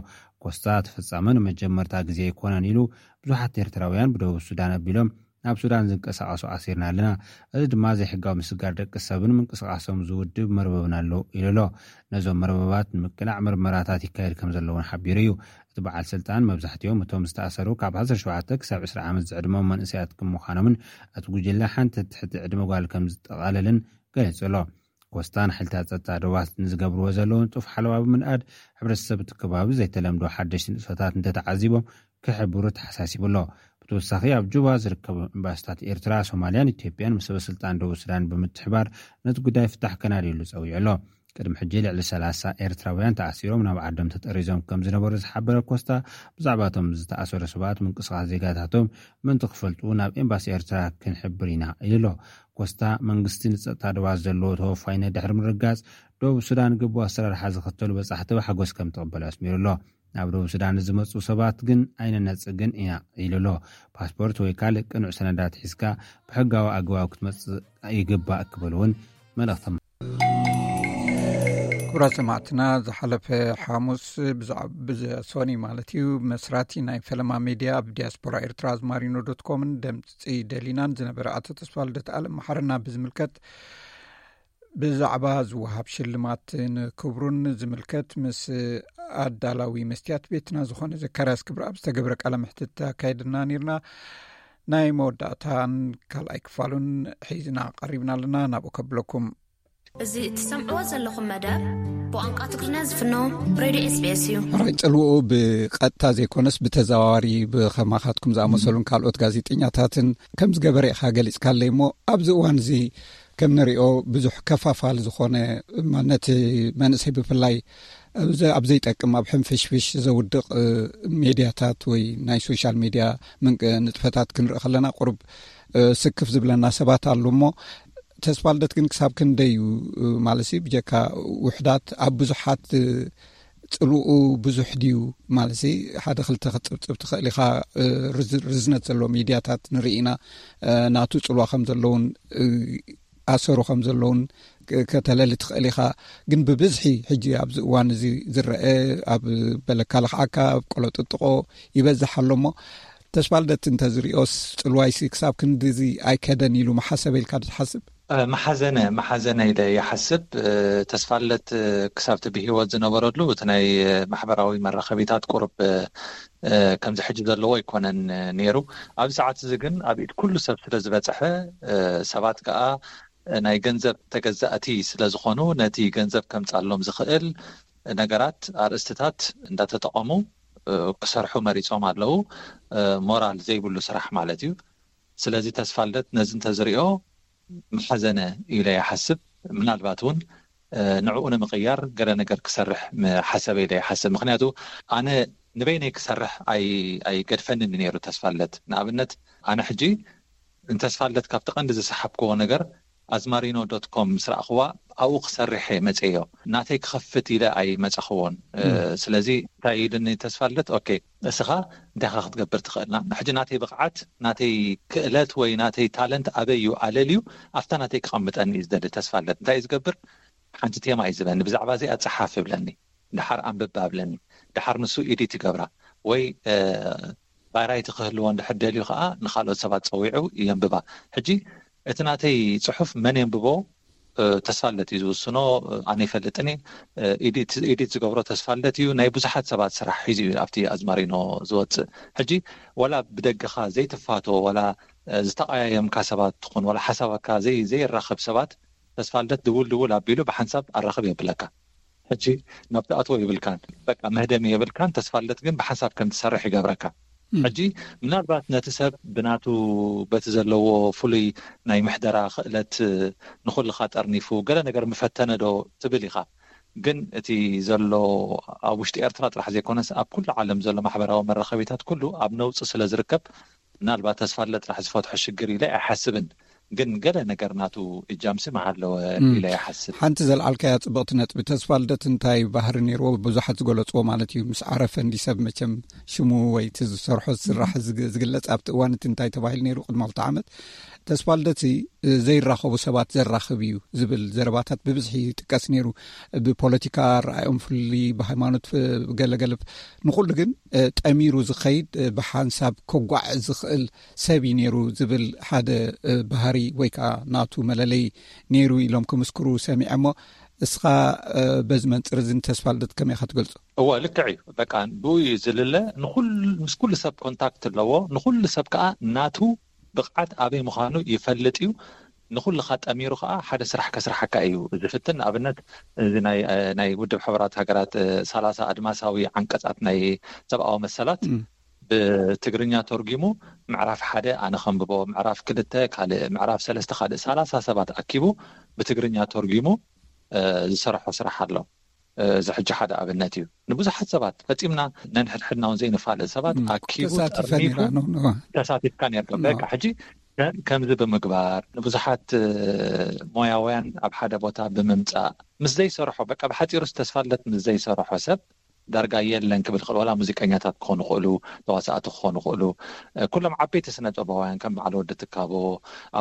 ኮስታ እቲ ፍጻመ ንመጀመርታ ግዜ ኣይኮነን ኢሉ፣ ብዙሓት ኤርትራውያን ብደቡብ ሱዳን ኣቢሎም ናብ ሱዳን ዝንቀሳቐሱ ኣሲርና ኣለና። እዚ ድማ ዘይሕጋዊ ምስጋር ደቂ ሰብን ምንቅስቃሶም ዝውድብ መርበብን ኣሎ ኢሉ ኣሎ። ነዞም መርበባት ንምቅላዕ ምርመራታት ይካየድ ከም ዘለውን ሓቢሩ እዩ። እቲ በዓል ስልጣን መብዛሕትኦም እቶም ዝተኣሰሩ ካብ ዓሰርተ ሸውዓተ ክሳብ ዕስራ ዓመት ዝዕድሞም መንእሰያት ከም ምዃኖምን እቲ ጉጅለ ሓንቲ ትሕቲ ዕድመ ጓል ከም ዝጠቓለልን ገሊጹ ኣሎ። ኮስታ ንሓይልታት ጸጥታ ደባት ንዝገብርዎ ዘለዉ ንጡፍ ሓለዋ ብምንኣድ፣ ሕብረተሰብ እቲ ከባቢ ዘይተለምዶ ሓደሽቲ ንጥፈታት እንተተዓዚቦም ክሕብሩ ተሓሳሲቡ ኣሎ። ብተወሳኺ ኣብ ጁባ ዝርከቡ ኤምባሲታት ኤርትራ፣ ሶማልያን ኢትዮጵያን ምስ ሰበ ስልጣን ደቡብ ሱዳን ብምትሕባር ነቲ ጉዳይ ፍታሕ ከናድየሉ ጸዊዑ ኣሎ። ቅድሚ ሕጂ ልዕሊ ሰላሳ ኤርትራውያን ተኣሲሮም ናብ ዓዶም ተጠሪዞም ከም ዝነበሩ ዝሓበረ ኮስታ፣ ብዛዕባ እቶም ዝተኣሰሩ ሰባት ምንቅስቃስ ዜጋታቶም ምእንቲ ክፈልጡ ናብ ኤምባሲ ኤርትራ ክንሕብር ኢና ኢሉ ኣሎ። ኮስታ መንግስቲ ንጸጥታ ደባት ዘለዎ ተወፋይነት ድሕሪ ምርጋጽ፣ ደቡብ ሱዳን ግቡእ ኣሰራርሓ ዝኽተሉ በጻሕቲ ብሓጎስ ከም ትቕበል ኣስሚሩ ኣሎ። ናብ ደቡብ ሱዳን ዝመፁ ሰባት ግን ኣይንነፅግን ኢና ኢሉ ኣሎ። ፓስፖርት ወይ ካልእ ቅኑዕ ሰነዳት ሒዝካ ብሕጋዊ ኣገባብ ክትመፅእ ይግባእ ክብል እውን መልእኽቶም። ክቡራት ሰማዕትና፣ ዝሓለፈ ሓሙስ ብዛዕ- ብዘ- ሶኒ ማለት እዩ፣ መስራቲ ናይ ፈለማ ሜድያ ኣብ ዲያስፖራ ኤርትራ ኣዝማሪኖ ዶት ኮምን ደምፂ ደሊናን ዝነበረ ኣቶ ተስፋልደት ኣለም መሓረና ብዝምልከት፣ ብዛዕባ ዝወሃብ ሽልማት ንክብሩን ዝምልከት ምስ ኣዳላዊ መስትያት ቤትና ዝኾነ ዘካርያስ ክብረኣብ ዝተገብረ ቃለ መሕትት ኣካይድና ነርና። ናይ መወዳእታን ካልኣይ ክፋሉን ሒዝና ቀሪብና ኣለና። ናብኡ ከብለኩም። እዚ እትሰምዕዎ ዘለኹም መደብ ብቋንቋ ትግርኛ ዝፍኖ ሬድዮ ኤስ ቢ ኤስ እዩ። ሕራይ ጽልውኡ ብቐጥታ ዘይኮነስ ብተዘዋዋሪ ብኸማኻትኩም ዝኣመሰሉን ካልኦት ጋዜጠኛታትን ከም ዝገበረ ኢኻ ገሊጽካለይ እሞ፣ ኣብዚ እዋን እዚ ከም ንሪኦ ብዙሕ ከፋፋል ዝኾነ፣ ነቲ መንእሰይ ብፍላይ ኣብ ዘ- ኣብ ዘይጠቅም፣ ኣብ ሕንፍሽፍሽ ዘውድቕ እ፣ ሜድያታት ወይ ናይ ሶሻል ሜድያ ምንቅ- ንጥፈታት ክንርኢ ከለና ቁሩብ እ፣ ስክፍ ዝብለና ሰባት ኣሉ እሞ፣ ተስፋልደት ግን ክሳብ ክንደይ እዩ እ፣ ማለት ሲ ብጀካ ውሕዳት ኣብ ብዙሓት እ፣ ጽልኡ ብዙሕ ድዩ ማለት ሲ? ሓደ ክልተ ክትጽብጽብ ትኽእል ኢኻ። እ፣ ርዝ- ርዝነት ዘለዎ ሚድያታት ንርኢ ኢና። እ፣ ናቱ ጽልዋ ከም ዘለውን እ፣ ኣሰሩ ከም ዘለውን ክ- ከተለሊ ትኽእል ኢኻ። ግን ብብዝሒ ሕጂ ኣብዚ እዋን እዚ ዝረአ፣ ኣብ በለካ ልኽዓካ፣ ኣብ ቆሎ ጥጥቆ ይበዝሕ ኣሎ እሞ፣ ተስፋልደት እንተዝሪኦስ ጽልዋይሲ ክሳብ ክንድዚ ኣይከደን ኢሉ መሓሰበ ኢልካ ዶ ትሓስብ? እ፣ መሓዘነ፣ መሓዘነ ኢለ ይሓስብ። እ፣ ተስፋለት፣ እ፣ ክሳብ እቲ ብህይወት ዝነበረሉ እቲ ናይ፣ እ፣ ማሕበራዊ መራኸቢታት ቁሩብ፣ እ፣ እ፣ ከምዚ ሕጂ ዘለዎ ኣይኮነን፣ እ፣ ነይሩ። ኣብዚ ሰዓት እዚ ግን ኣብ ኢድ ኩሉ ሰብ ስለ ዝበጽሐ፣ እ፣ ሰባት ከኣ፣ እ፣ ናይ ገንዘብ ተገዛእቲ ስለ ዝኾኑ፣ ነቲ ገንዘብ ከምጻሎም ዝኽእል ነገራት፣ ኣርእስትታት እንዳተጠቐሙ፣ እ፣ ክሰርሑ መሪጾም ኣለዉ። እ፣ ሞራል ዘይብሉ ስራሕ ማለት እዩ። ስለዚ ተስፋልደት ነዚ እንተዝሪኦ መሓዘነ ኢለ ይሓስብ። ምናልባት እውን፣ እ፣ ንዕኡ ንምቕያር ገለ ነገር ክሰርሕ ምሓሰበ ኢለ ይሓስብ። ምኽንያቱ ኣነ ንበይነይ ክሰርሕ ኣይ-፣ ኣይገድፈንን ነይሩ ተስፋለት። ንኣብነት ኣነ ሕጂ ንተስፋለት ካብቲ ቀንዲ ዝሰሓብክዎ ነገር ኣዝማሪኖ ዶት ኮም ምስ ረኣኽዋ ኣብኡ ክሰርሕ እየ መፅዮ። ናተይ ክኸፍት ኢለ ኣይመፃኽዎን። እ፣ ም። ስለዚ እንታይ ኢሉኒ ተስፋለት፣ ኦኬ፣ እስኻ እንታይ ኢኻ ክትገብር ትኽእልና? ሕጂ ናተይ ብቕዓት፣ ናተይ ክእለት ወይ ናተይ ታለንት ኣበይ እዩ ኣለልዩ፣ ኣብታ ናተይ ክቐምጠኒ እዩ ዝደሊ ተስፋለት። እንታይ እዩ ዝገብር? ሓንቲ ቴማ እዩ ዝበኒ፣ ብዛዕባ እዚኣ ጸሓፍ ይብለኒ፣ ድሓር ኣንብብ ኣብለኒ፣ ድሓር ንሱ ኢዲት ይገብራ ወይ፣ እ፣ ባይራይቲ ክህልዎ እንድሕር ደልዩ ከኣ ንኻልኦት ሰባት ጸዊዑ የንብባ። ሕጂ እቲ ናተይ ጽሑፍ መን የንብቦ፣ እ፣ ተስፋለት እዩ ዝውስኖ። ኣነ ይፈልጥን እየ። እ፣ ኢዲት፣ ኢዲት ዝገብሮ ተስፋለት እዩ። ናይ ብዙሓት ሰባት ስራሕ ሒዙ እዩ ኣብቲ ኣዝማሪኖ ዝወጽእ። ሕጂ ወላ ብደገኻ ዘይትፋቶ፣ ወላ፣ እ፣ ዝተቐያየምካ ሰባት ትኹን፣ ወላ ሓሳባካ ዘይ-፣ ዘይራኸብ ሰባት፣ ተስፋልደት ድውል ድውል ኣቢሉ ብሓንሳብ ኣራኽብ የብለካ። ሕጂ ናብ ትኣትዎ ይብልካን፣ በቃ መህደሚ የብልካን። ተስፋልደት ግን ብሓንሳብ ከም ትሰርሕ ይገብረካ። ም። ሕጂ ምናልባት ነቲ ሰብ ብናቱ፣ በቲ ዘለዎ ፍሉይ ናይ ምሕደራ ክእለት ንኹልኻ ጠርኒፉ ገለ ነገር ምፈተነ ዶ ትብል ኢኻ። ግን እቲ ዘሎ ኣብ ውሽጢ ኤርትራ ጥራሕ ዘይኮነስ ኣብ ኩሉ ዓለም ዘሎ ማሕበራዊ መራኸቢታት ኩሉ ኣብ ነውጺ ስለ ዝርከብ፣ ምናልባት ተስፋለ ጥራሕ ዝፈትሖ ሽግር ኢለ ኣይሓስብን። ግን ገለ ነገር ናቱ እጃምሲ ምሃለወ ም። ኢለ ይሓስብ። ሓንቲ ዘልዓልካያ ጽብቕቲ ነጥቢ፣ ተስፋልደት እንታይ ባህሪ ነይርዎ? ብዙሓት ዝገለጽዎ ማለት እዩ። ምስ ዓረፈ እንዲ ሰብ መቸም ሽሙ ወይ እቲ ዝሰርሖ ስራሕ ዝግ-፣ ዝግለጽ፣ ኣብቲ እዋን እቲ እንታይ ተባሂሉ ነይሩ? ቅድሚ ክልተ ዓመት ተስፋልደት ዘይራኸቡ ሰባት ዘራኽብ እዩ ዝብል ዘረባታት ብብዝሒ ይጥቀስ ነይሩ። ብፖለቲካ ረኣዮም ፍልይ፣ ብሃይማኖት ፍ-፣ ገለገለ ንኹሉ ግን፣ እ፣ ጠሚሩ ዝኸይድ፣ እ፣ ብሓንሳብ ከጓዕ ዝኽእል ሰብ እዩ ነይሩ ዝብል ሓደ፣ እ፣ ባህሪ ወይ ከዓ ናቱ መለለይ ነይሩ ኢሎም ክምስክሩ ሰሚዐ እሞ፣ እስኻ፣ እ፣ በዚ መንጽር እዚ ንተስፋልደት ከመይ ኢኻ ትገልጾ? እወ፣ ልክዕ እዩ። በቃ ብኡ እዩ ዝልለ። ንኹል-፣ ምስ ኩሉ ሰብ ኮንታክት ኣለዎ። ንኹሉ ሰብ ከዓ ናቱ ብቕዓት ኣበይ ምዃኑ ይፈልጥ እዩ። ንኹልኻ ጠሚሩ ኸዓ ሓደ ስራሕ ከስርሓካ እዩ ዝፍትን። ንኣብነት፣ እዚ ናይ፣ ናይ ውድብ ሕቡራት ሃገራት፣ እ፣ ሰላሳ ኣድማሳዊ ዓንቀጻት ናይ ሰብኣዊ መሰላት ም። ብትግርኛ ተርጒሙ፣ ምዕራፍ ሓደ ኣነ ከንብቦ፣ ምዕራፍ ክልተ ካልእ፣ ምዕራፍ ሰለስተ ካልእ፣ ሰላሳ ሰባት ኣኪቡ ብትግርኛ ተርጒሙ፣ እ፣ ዝሰርሖ ስራሕ ኣሎ። እ፣ እዚ ሕጂ ሓደ ኣብነት እዩ። ንብዙሓት ሰባት ፈጺምና ነንሕድሕድና እውን ዘይንፋለጥ ሰባት ም፣ ኣኪቡ ተሳቲፈ ጠርኒፉ ነይራ፣ ኖ፣ ኖ። ተሳቲፍካ ነርካ። ኖ። በቃ ሕጂ ከ-፣ ከምዚ ብምግባር ንብዙሓት፣ እ፣ ሞያውያን ኣብ ሓደ ቦታ ብምምጻእ ምስ ዘይሰርሖ፣ በቃ ብሓጺሩስ ተስፋለት ምስ ዘይሰርሖ ሰብ ዳርጋ የለን ክብል ይኽእል። ዋላ ሙዚቀኛታት ክኾኑ ይኽእሉ፣ ተዋሳእቲ ክኾኑ ይኽእሉ። ኩሎም ዓበይቲ ስነ ጥበባውያን ከም በዓል ወዲ ትካቦ፣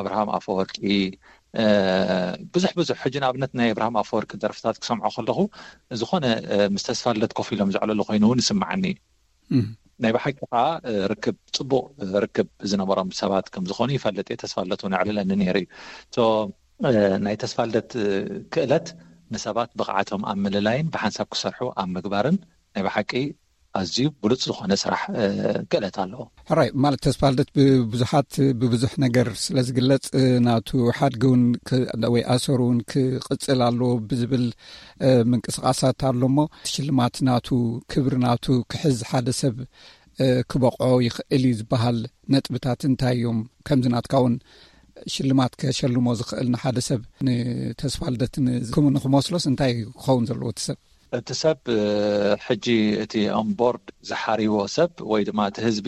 ኣብርሃም ኣፈወርቂ፣ ብዙሕ ብዙሕ። ሕጂ ንኣብነት ናይ ኣብርሃም ኣፈወርቂ ደርፍታት ክሰምዖ ከለኹ ዝኾነ ምስ ተስፋ ልደት ኮፍ ኢሎም ዘዕለሉ ኮይኑ እውን ይስምዓኒ እዩ። ናይ ብሓቂ ከዓ ርክብ፣ ፅቡቅ ርክብ ዝነበሮም ሰባት ከም ዝኾኑ ይፈልጥ እየ። ተስፋ ልደት እውን ኣዕልለኒ ነይሩ እዩ። ናይ ተስፋ ልደት ክእለት ንሰባት ብቕዓቶም ኣብ ምልላይን ብሓንሳብ ክሰርሑ ኣብ ምግባርን ናይ ብሓቂ ኣዝዩ ብሉፅ ዝኾነ ስራሕ ክእለት ኣለዎ። ሕራይ፣ ማለት ተስፋ ልደት ብብዙሓት ብብዙሕ ነገር ስለ ዝግለፅ፣ ናቱ ሓድጊ እውን ወይ ኣሰሩ እውን ክቕፅል ኣለዎ ብዝብል ምንቅስቃሳት ኣሎ እሞ፣ ሽልማት ናቱ፣ ክብሪ ናቱ ክሕዝ ሓደ ሰብ ክበቕዖ ይኽእል እዩ ዝበሃል ነጥብታት እንታይ እዮም? ከምዚ ናትካ እውን ሽልማት ከሸልሞ ዝኽእል ንሓደ ሰብ፣ ንተስፋ ልደት ንክመስሎስ እንታይ ክኸውን ዘለዎ እቲ ሰብ? እቲ ሰብ ሕጂ እቲ ኦንቦርድ ዝሓርይዎ ሰብ ወይ ድማ እቲ ህዝቢ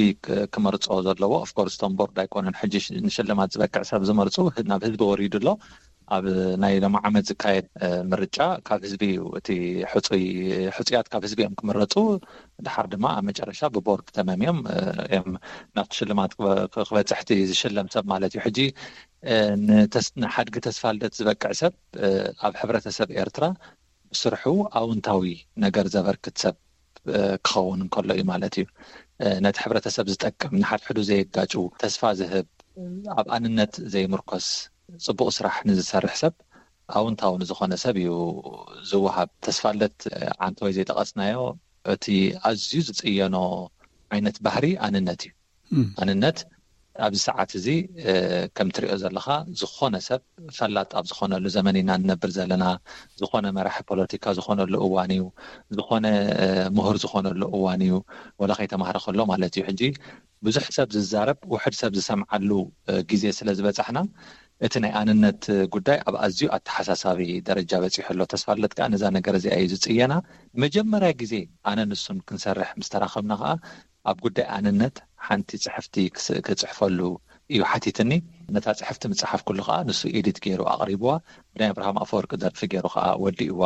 ክመርፆ ዘለዎ፣ ኦፍኮርስ እቲ ኦንቦርድ ኣይኮነን ሕጂ ንሽልማት ዝበቅዕ ሰብ ዝመርፁ፣ ናብ ህዝቢ ወሪዱ ኣሎ። ኣብ ናይ ሎሚ ዓመት ዝካየድ ምርጫ ካብ ህዝቢ እዩ። እቲ ሕፁይ፣ ሕፁያት ካብ ህዝቢ እዮም ክምረፁ። ድሓር ድማ ኣብ መጨረሻ ብቦርድ ተመምዮም እዮም ናቱ ሽልማት ክበፅሕ እቲ ዝሽለም ሰብ ማለት እዩ። ሕጂ ንሓድጊ ተስፋ ልደት ዝበቅዕ ሰብ ኣብ ሕብረተሰብ ኤርትራ ብስርሑ ኣውንታዊ ነገር ዘበርክት ሰብ ክኸውን እንከሎ እዩ ማለት እዩ። ነቲ ሕብረተሰብ ዝጠቅም፣ ንሓድሕዱ ዘየጋጭው፣ ተስፋ ዝህብ፣ ኣብ ኣንነት ዘይምርኮስ ፅቡቅ ስራሕ ንዝሰርሕ ሰብ፣ ኣውንታዊ ንዝኾነ ሰብ እዩ ዝወሃብ። ተስፋ ልደት ዓንተወይ ዘይጠቐስናዮ እቲ ኣዝዩ ዝፅየኖ ዓይነት ባህሪ ኣንነት እዩ። ኣንነት ኣብዚ ሰዓት እዚ ከም ትሪኦ ዘለኻ ዝኾነ ሰብ ፈላጥ ኣብ ዝኾነሉ ዘመን ኢና ንነብር ዘለና። ዝኾነ መራሒ ፖለቲካ ዝኾነሉ እዋን እዩ። ዝኾነ ምሁር ዝኾነሉ እዋን እዩ። ወላ ከይተማህረ ከሎ ማለት እዩ። ሕጂ ብዙሕ ሰብ ዝዛረብ፣ ውሕድ ሰብ ዝሰምዓሉ ግዜ ስለ ዝበፃሕና፣ እቲ ናይ ኣንነት ጉዳይ ኣብ ኣዝዩ ኣተሓሳሳቢ ደረጃ በፂሑ ኣሎ። ተስፋ ልደት ከዓ ነዛ ነገር እዚኣ እዩ ዝፅየና። መጀመርያ ግዜ ኣነ ንሱን ክንሰርሕ ምስ ተራኸብና ከዓ ኣብ ጉዳይ ኣንነት ሓንቲ ፅሕፍቲ ክጽሕፈሉ እዩ ሓቲትኒ። ነታ ፅሕፍቲ ምፅሓፍ ኩሉ ከዓ ንሱ ኤዲት ገይሩ ኣቕሪብዋ። ብናይ ኣብርሃም ኣፈወርቂ ደርፊ ገይሩ ከዓ ወዲእዋ።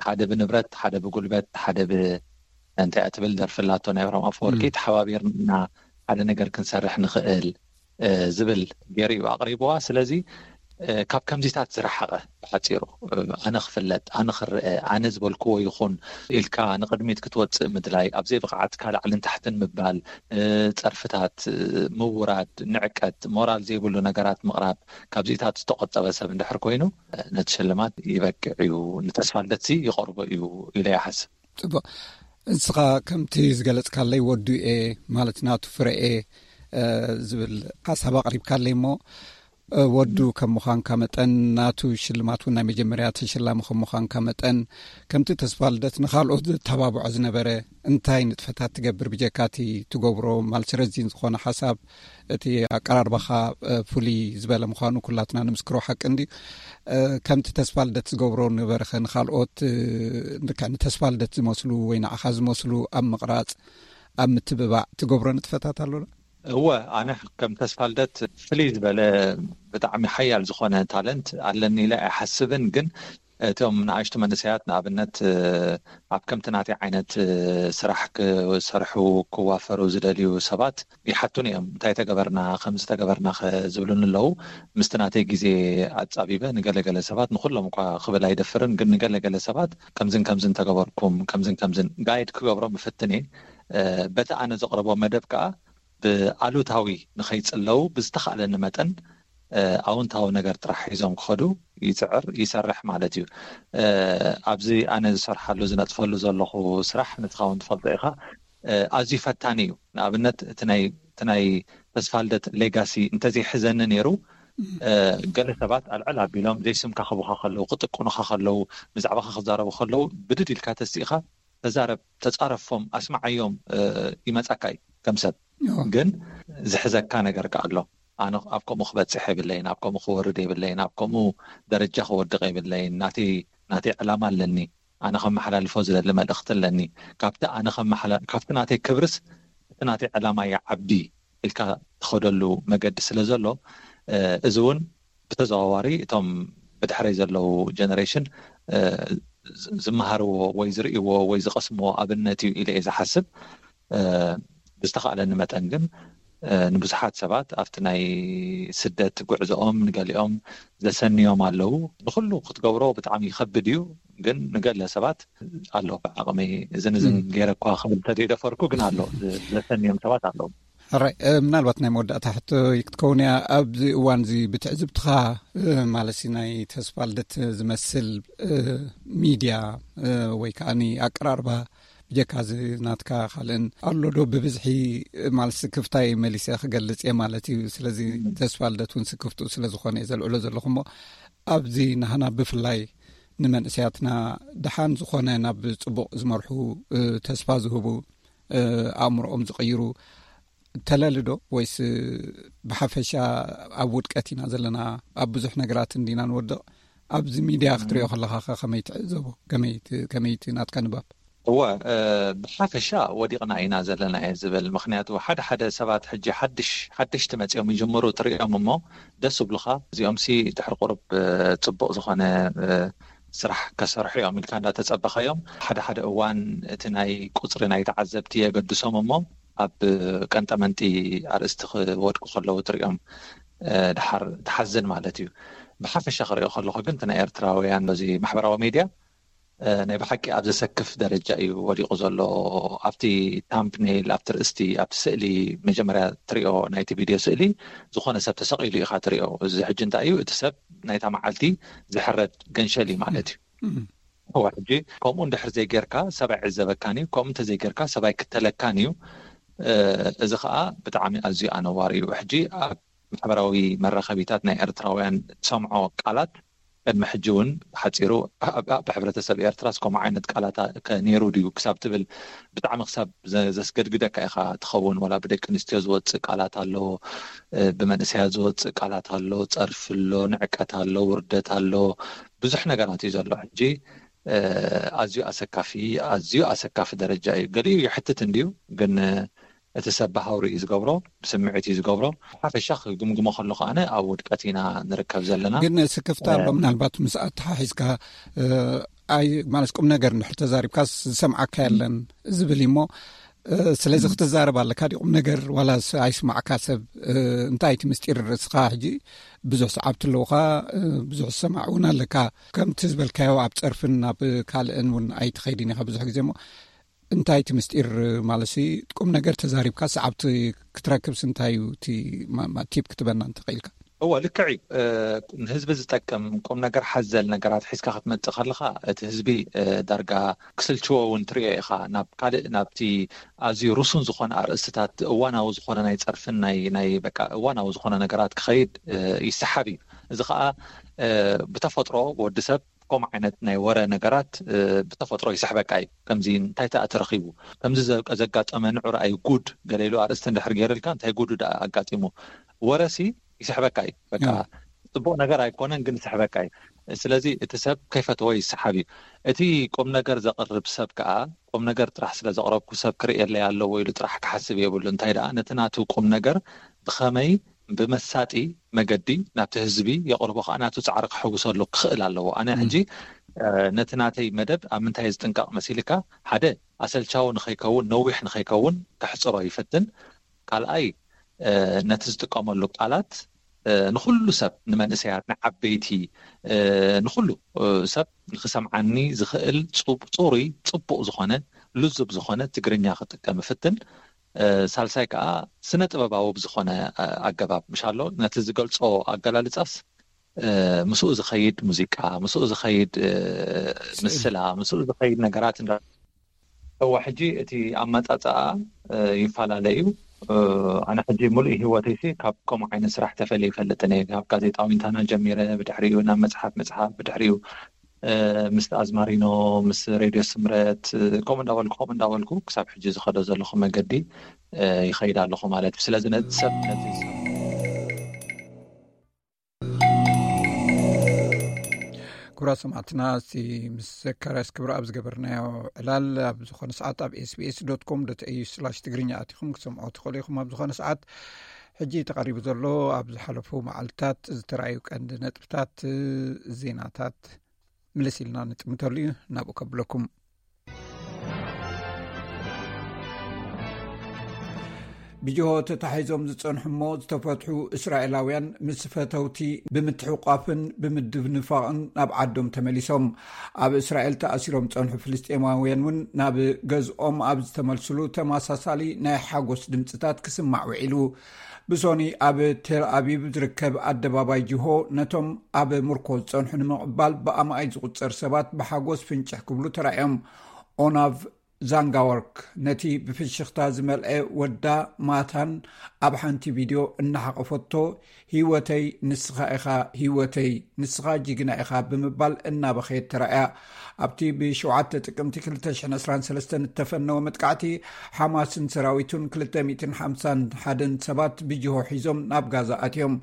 ሓደ ብንብረት፣ ሓደ ብጉልበት፣ ሓደ ብ እንታይ እያ ትብል ደርፊ ኣላቶ ናይ ኣብርሃም ኣፈወርቂ፣ ተሓባቢርና ሓደ ነገር ክንሰርሕ ንኽእል ዝብል ገይሩ እዩ ኣቕሪብዋ። ስለዚ ካብ ከምዚታት ዝረሓቐ፣ ብሓፂሩ ኣነ ክፍለጥ፣ ኣነ ክረአ፣ ኣነ ዝበልክዎ ይኹን ኢልካ ንቕድሚት ክትወፅእ ምድላይ፣ ኣብዘይ ብቕዓትካ ላዕልን ታሕትን ምባል፣ ፀርፍታት ምውራድ፣ ንዕቀት፣ ሞራል ዘይብሉ ነገራት ምቕራብ፣ ካብዚታት ዝተቆጠበ ሰብ እንድሕር ኮይኑ ነቲ ሽልማት ይበቅዕ እዩ፣ ንተስፋ ልደትሲ ይቐርቦ እዩ ኢለ ይሓስብ። ፅቡቅ። ንስኻ ከምቲ ዝገለፅካለይ ወዱ እየ ማለት ናቱ ፍረ እየ ዝብል ሓሳብ ኣቕሪብካለይ እሞ፣ ወዱ ከም ምዃንካ መጠን ናቱ ሽልማት እውን ናይ መጀመርያ ተሸላሚ ከም ምዃንካ መጠን፣ ከምቲ ተስፋ ልደት ንኻልኦት ዘተባብዖ ዝነበረ እንታይ ንጥፈታት ትገብር ብጀካ እቲ ትገብሮ ማለት ረዚን ዝኾነ ሓሳብ፣ እቲ ኣቀራርባኻ ፍሉይ ዝበለ ምዃኑ ኩላትና ንምስክሮ ሓቂ እንድዩ። ከምቲ ተስፋ ልደት ዝገብሮ ነበረኸ ንኻልኦት ንተስፋ ልደት ዝመስሉ ወይ ንዓኻ ዝመስሉ ኣብ ምቕራፅ፣ ኣብ ምትብባዕ ትገብሮ ንጥፈታት ኣሎ ዶ? እወ፣ ኣነ ከም ተስፋ ልደት ፍልይ ዝበለ ብጣዕሚ ሓያል ዝኾነ ታለንት ኣለኒ ኢለ ኣይሓስብን። ግን እቶም ንኣሽቱ መንእሰያት ንኣብነት ኣብ ከምቲ ናተይ ዓይነት ስራሕ ክሰርሑ ክዋፈሩ ዝደልዩ ሰባት ይሓቱኒ እዮም። እንታይ ተገበርና፣ ከምዚ ተገበርና ከ ዝብሉኒ ኣለዉ። ምስቲ ናተይ ግዜ ኣጻቢበ ንገለገለ ሰባት፣ ንኹሎም እኳ ክብል ኣይደፍርን፣ ግን ንገለገለ ሰባት ከምዝን ከምዝን ተገበርኩም፣ ከምዝን ከምዝን ጋይድ ክገብሮም እፍትን እየ። በቲ ኣነ ዘቕርቦ መደብ ከኣ ብኣሉታዊ ንኸይጽለዉ ብዝተኻእለኒ መጠን ኣውንታዊ ነገር ጥራሕ ሒዞም ክኸዱ ይፅዕር፣ ይሰርሕ ማለት እዩ። ኣብዚ ኣነ ዝሰርሓሉ ዝነጥፈሉ ዘለኹ ስራሕ ንስኻ እውን ትፈልጦ ኢኻ፣ ኣዝዩ ፈታኒ እዩ። ንኣብነት እቲ ናይ ተስፋ ልደት ሌጋሲ እንተዘይሕዘኒ ነይሩ፣ ገለ ሰባት ኣልዕል ኣቢሎም ዘይስምካ ክቡኻ ከለዉ፣ ክጥቅኑኻ ከለዉ፣ ብዛዕባኻ ክዛረቡ ከለዉ ብድድ ኢልካ ተሲእኻ ተዛረብ፣ ተፃረፎም፣ ኣስማዓዮም ይመፃካ እዩ ከም ሰብ። ግን ዝሕዘካ ነገር ከ ኣሎ። ኣነ ኣብ ከምኡ ክበፅሕ የብለይን፣ ኣብ ከምኡ ክወርድ የብለይን፣ ኣብ ከምኡ ደረጃ ክወድቕ የብለይን። ናተይ ናተይ ዕላማ ኣለኒ። ኣነ ከመሓላልፎ ዝደሊ መልእኽቲ ኣለኒ። ካብቲ ኣነ ከመሓላ-፣ ካብቲ ናተይ ክብርስ እቲ ናተይ ዕላማ ይዓቢ ኢልካ ትኸደሉ መገዲ ስለ ዘሎ፣ እዚ እውን ብተዘዋዋሪ እቶም ብድሕረይ ዘለዉ ጀነሬሽን ዝመሃርዎ ወይ ዝርእይዎ ወይ ዝቐስምዎ ኣብነት እዩ ኢለ እየ ዝሓስብ። ብዝተኻእለኒ መጠን ግን ንብዙሓት ሰባት ኣብቲ ናይ ስደት ጉዕዞኦም ንገሊኦም ዘሰንዮም ኣለዉ። ንኹሉ ክትገብሮ ብጣዕሚ ይኸብድ እዩ፣ ግን ንገለ ሰባት ኣሎ ብዓቕመይ እዝን እዝን ገይረ እኳ ክብል ተደይደፈርኩ ግን ኣሎ ዘሰንዮም ሰባት ኣለዉ። ሕራይ ምናልባት ናይ መወዳእታ ሕቶ ክትከውን እያ። ኣብዚ እዋን እዚ ብትዕዝብትኻ ማለት ናይ ተስፋ ልደት ዝመስል ሚድያ ወይ ከዓ ኣቀራርባ ብጀካ እዚ ናትካ ካልእን ኣሎ ዶ? ብብዝሒ ማለት ስክፍታይ መሊሰ ክገልጽ እየ ማለት እዩ። ስለዚ ተስፋ ልደት እውን ስክፍትኡ ስለዝኾነ እየ ዘልዕሎ ዘለኹ። እሞ ኣብዚ ናህና ብፍላይ ንመንእሰያትና ደሓን ዝኾነ ናብ ጽቡቕ ዝመርሑ ተስፋ ዝህቡ ኣእምሮኦም ዝቕይሩ ተለሊ ዶ ወይስ ብሓፈሻ ኣብ ውድቀት ኢና ዘለና? ኣብ ብዙሕ ነገራት እንዲና ንወድቕ። ኣብዚ ሚድያ ክትሪኦ ከለኻ ከ ከመይ ትዕዘቦ? ከመይ እቲ ናትካ ንባብ? እወ፣ ብሓፈሻ ወዲቕና ኢና ዘለና እየ ዝብል። ምክንያቱ ሓደ ሓደ ሰባት ሕጂ ሓድሽ ሓደሽቲ መፂኦም ይጅምሩ ትሪኦም እሞ ደስ ይብሉኻ። እዚኦም ሲ ድሕሪ ቁሩብ ፅቡቕ ዝኾነ ስራሕ ከሰርሑ እዮም ኢልካ እንዳተፀበኸዮም፣ ሓደ ሓደ እዋን እቲ ናይ ቁፅሪ ናይ ተዓዘብቲ የገድሶም እሞ ኣብ ቀንጠመንጢ ኣርእስቲ ክወድቁ ከለዉ ትሪኦም ድሓር ትሓዝን ማለት እዩ። ብሓፈሻ ክሪኦ ከለኹ ግን እቲ ናይ ኤርትራውያን በዚ ማሕበራዊ ሜድያ ናይ ብሓቂ ኣብ ዘሰክፍ ደረጃ እዩ ወዲቑ ዘሎ። ኣብቲ ታምፕኔል፣ ኣብቲ ርእስቲ፣ ኣብቲ ስእሊ፣ መጀመርያ ትሪኦ ናይቲ ቪድዮ ስእሊ ዝኾነ ሰብ ተሰቒሉ ኢኻ ትሪኦ። እዚ ሕጂ እንታይ እዩ? እቲ ሰብ ናይታ መዓልቲ ዝሕረድ ገንሸል እዩ ማለት እዩ። እዋ ሕጂ ከምኡ እንድሕር ዘይጌርካ ሰብ ኣይዕዘበካን እዩ። ከምኡ እንተዘይጌርካ ሰብ ኣይክተለካን እዩ። እዚ ከዓ ብጣዕሚ ኣዝዩ ኣነዋሪ እዩ። ሕጂ ኣብ ማሕበራዊ መራኸቢታት ናይ ኤርትራውያን ሰምዖ ቃላት ቅድሚ ሕጂ እውን ሓፂሩ ኣብ ሕብረተሰብ ኤርትራስ ከምኡ ዓይነት ቃላት ከ ነይሩ ድዩ ክሳብ ትብል ብጣዕሚ ክሳብ ዘስገድግደካ ኢኻ ትኸውን። ዋላ ብደቂ ኣንስትዮ ዝወፅእ ቃላት ኣሎ፣ ብመንእሰያት ዝወፅእ ቃላት ኣሎ፣ ፀርፊ ኣሎ፣ ንዕቀት ኣሎ፣ ውርደት ኣሎ፣ ብዙሕ ነገራት እዩ ዘሎ። ሕጂ ኣዝዩ ኣሰካፊ ኣዝዩ ኣሰካፊ ደረጃ እዩ። ገሊኡ ይሕትት እንድዩ ግን እቲ ሰብ ብሃውሪ እዩ ዝገብሮ፣ ብስምዒት እዩ ዝገብሮ። ሓፈሻ ክግምግሞ ከሎ ከኣነ ኣብ ውድቀት ኢና ንርከብ ዘለና። ግን ስክፍታ ኣሎ ምናልባት ምስ ኣተሓሒዝካ ኣይ ማለት ቁም ነገር እንድሕር ተዛሪብካ ዝሰምዓካ የለን ዝብል እሞ ስለዚ ክትዛረብ ኣለካ ዲ ቁም ነገር ዋላ ኣይስማዕካ ሰብ እንታይ እቲ ምስጢር ርእስኻ ሕጂ ብዙሕ ሰዓብቲ ኣለውካ ብዙሕ ዝሰማዕ እውን ኣለካ ከምቲ ዝበልካዮ ኣብ ፀርፍን ኣብ ካልእን እውን ኣይትኸይድን ኢኻ ብዙሕ ግዜ እሞ እንታይ እቲ ምስጢር ማለት ቁም ነገር ተዛሪብካ ሰዓብቲ ክትረክብስ እንታይ እዩ እቲ ቲፕ ክትበና እንተኽኢልካ? እወ ልክዕ እዩ። ንህዝቢ ዝጠቅም ቁም ነገር ሓዘል ነገራት ሒዝካ ክትመፅእ ከለካ እቲ ህዝቢ ዳርጋ ክስልችዎ እውን ትሪኦ ኢኻ። ናብ ካልእ ናብቲ ኣዝዩ ሩሱን ዝኾነ ኣርእስትታት እዋናዊ ዝኾነ ናይ ፀርፍን ናይ ናይ በቃ እዋናዊ ዝኾነ ነገራት ክኸይድ ይሰሓብ እዩ። እዚ ከዓ ብተፈጥሮ ወዲ ሰብ ከምኡ ዓይነት ናይ ወረ ነገራት ብተፈጥሮ ይስሕበካ እዩ። ከምዚ እንታይ ተኣ ተረኺቡ ከምዚ ዘጋጠመ ንዑ ረኣዩ ጉድ ገለ ኢሉ ኣርእስቲ እንድሕር ገይርልካ እንታይ ጉዱ ደኣ ኣጋጢሙ ወረሲ ይስሕበካ እዩ። በቃ ፅቡቕ ነገር ኣይኮነን ግን ይስሕበካ እዩ። ስለዚ እቲ ሰብ ከይፈተዎ ይሰሓብ እዩ። እቲ ቁም ነገር ዘቕርብ ሰብ ከዓ ቁም ነገር ጥራሕ ስለ ዘቕረብኩ ሰብ ክርእየለይ ኣለዎ ኢሉ ጥራሕ ክሓስብ የብሉ። እንታይ ደኣ ነቲ ናቱ ቁም ነገር ብኸመይ ብመሳጢ መገዲ ናብቲ ህዝቢ የቕርቦ ከዓ ናቱ ፃዕሪ ክሕውሰሉ ክኽእል ኣለዎ። ኣነ ሕጂ ነቲ ናተይ መደብ ኣብ ምንታይ ዝጥንቀቕ መሲልካ ሓደ ኣሰልቻዊ ንኸይከውን ነዊሕ ንኸይከውን ከሕፅሮ ይፈትን። ካልኣይ ነቲ ዝጥቀመሉ ቃላት ንኩሉ ሰብ ንመንእሰያት ንዓበይቲ ንኩሉ ሰብ ንክሰምዓኒ ዝኽእል ፅሩይ ፅቡቕ ዝኾነ ልዙብ ዝኾነ ትግርኛ ክጥቀም ይፍትን። ሳልሳይ ከዓ ስነ ጥበባዊ ብዝኾነ ኣገባብ ምሻሎ ነቲ ዝገልፆ ኣገላልፃስ ምስኡ ዝኸይድ ሙዚቃ ምስኡ ዝኸይድ ምስላ ምስኡ ዝኸይድ ነገራት እዋ ሕጂ እቲ ኣመፃፅኣ ይፈላለ እዩ። ኣነ ሕጂ ሙሉእ ህይወተይሲ ካብ ከምኡ ዓይነት ስራሕ ተፈልየ ይፈልጥን እየ። ካብ ጋዜጣ ዊንታና ጀሚረ ብድሕሪኡ ናብ መፅሓፍ ምፅሓፍ ብድሕሪኡ ምስ ኣዝማሪኖ ምስ ሬድዮ ስምረት ከምኡ እንዳበልኩ ከምኡ እንዳበልኩ ክሳብ ሕጂ ዝኸዶ ዘለኹ መገዲ ይኸይድ ኣለኹ ማለት እዩ። ስለዚ ነቲ ሰብ ነቲ ክቡራት ሰማዕትና እቲ ምስ ዘካርያስ ክብረኣብ ዝገበርናዮ ዕላል ኣብ ዝኾነ ሰዓት ኣብ ኤስቢኤስ ዶት ኮም ዶት ኤዩ ስላሽ ትግርኛ ኣቲኹም ክሰምዖ ትኽእሉ ኢኹም። ኣብ ዝኾነ ሰዓት ሕጂ ተቐሪቡ ዘሎ ኣብ ዝሓለፉ መዓልትታት ዝተረኣዩ ቀንዲ ነጥብታት ዜናታት ምልስ ኢልና ንጥምተሉ እዩ። ናብኡ ከብለኩም። ብጅሆ ተታሒዞም ዝጸንሑ እሞ ዝተፈትሑ እስራኤላውያን ምስ ፈተውቲ ብምትሕቋፍን ብምድንፋቕን ናብ ዓዶም ተመሊሶም። ኣብ እስራኤል ተኣሲሮም ጸንሑ ፍልስጤማውያን እውን ናብ ገዝኦም ኣብ ዝተመልስሉ ተመሳሳሊ ናይ ሓጎስ ድምጽታት ክስማዕ ውዒሉ። ብሶኒ ኣብ ቴል ኣቪቭ ዝርከብ ኣደባባይ ጅሆ ነቶም ኣብ ምርኮ ዝጸንሑ ንምቕባል ብኣማኢት ዝቑጸር ሰባት ብሓጎስ ፍንጭሕ ክብሉ ተራእዮም። ኦናቭ ዛንጋወርክ ነቲ ብፍሽኽታ ዝመልአ ወዳ ማታን ኣብ ሓንቲ ቪድዮ እናሓቐፈቶ፣ "ህይወተይ ንስኻ ኢኻ፣ ህይወተይ ንስኻ ጅግና ኢኻ" ብምባል እናበኸየት ተራእያ። ኣብቲ ብ7 ጥቅምቲ ክልተ ሽሕን ዕስራን ሰለስተን እተፈነወ መጥቃዕቲ፣ ሓማስን ሰራዊቱን ክልተ ሚእትን ሓምሳን ሓደን ሰባት ብጅሆ ሒዞም ናብ ጋዛ ኣትዮም።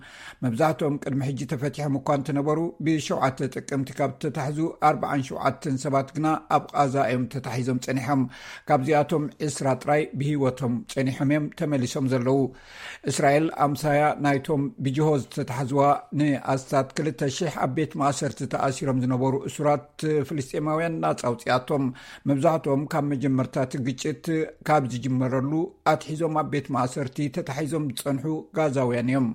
መብዛሕትኦም ቅድሚ ሕጂ ተፈቲሖም እኳ እንተነበሩ፣ ብ7 ጥቅምቲ ካብ ተታሕዙ ኣርባዓን ሸውዓተን ሰባት ግና ኣብ ቃዛ እዮም ተታሒዞም ጸኒሖም። ካብዚኣቶም ዕስራ ጥራይ ብህይወቶም ጸኒሖም እዮም ተመሊሶም ዘለዉ። እስራኤል ኣምሳያ ናይቶም ብጅሆ ዝተታሕዝዋ ንኣስታት ክልተ ሽሕ ኣብ ቤት ማእሰርቲ ተኣሲሮም ዝነበሩ እሱራት ፍልስጤማውያን ናጻ ኣውጺኣቶም። መብዛሕትኦም ካብ መጀመርታ እቲ ግጭት ካብ ዝጅመረሉ ኣትሒዞም ኣብ ቤት ማእሰርቲ ተታሒዞም ዝጸንሑ ጋዛውያን እዮም።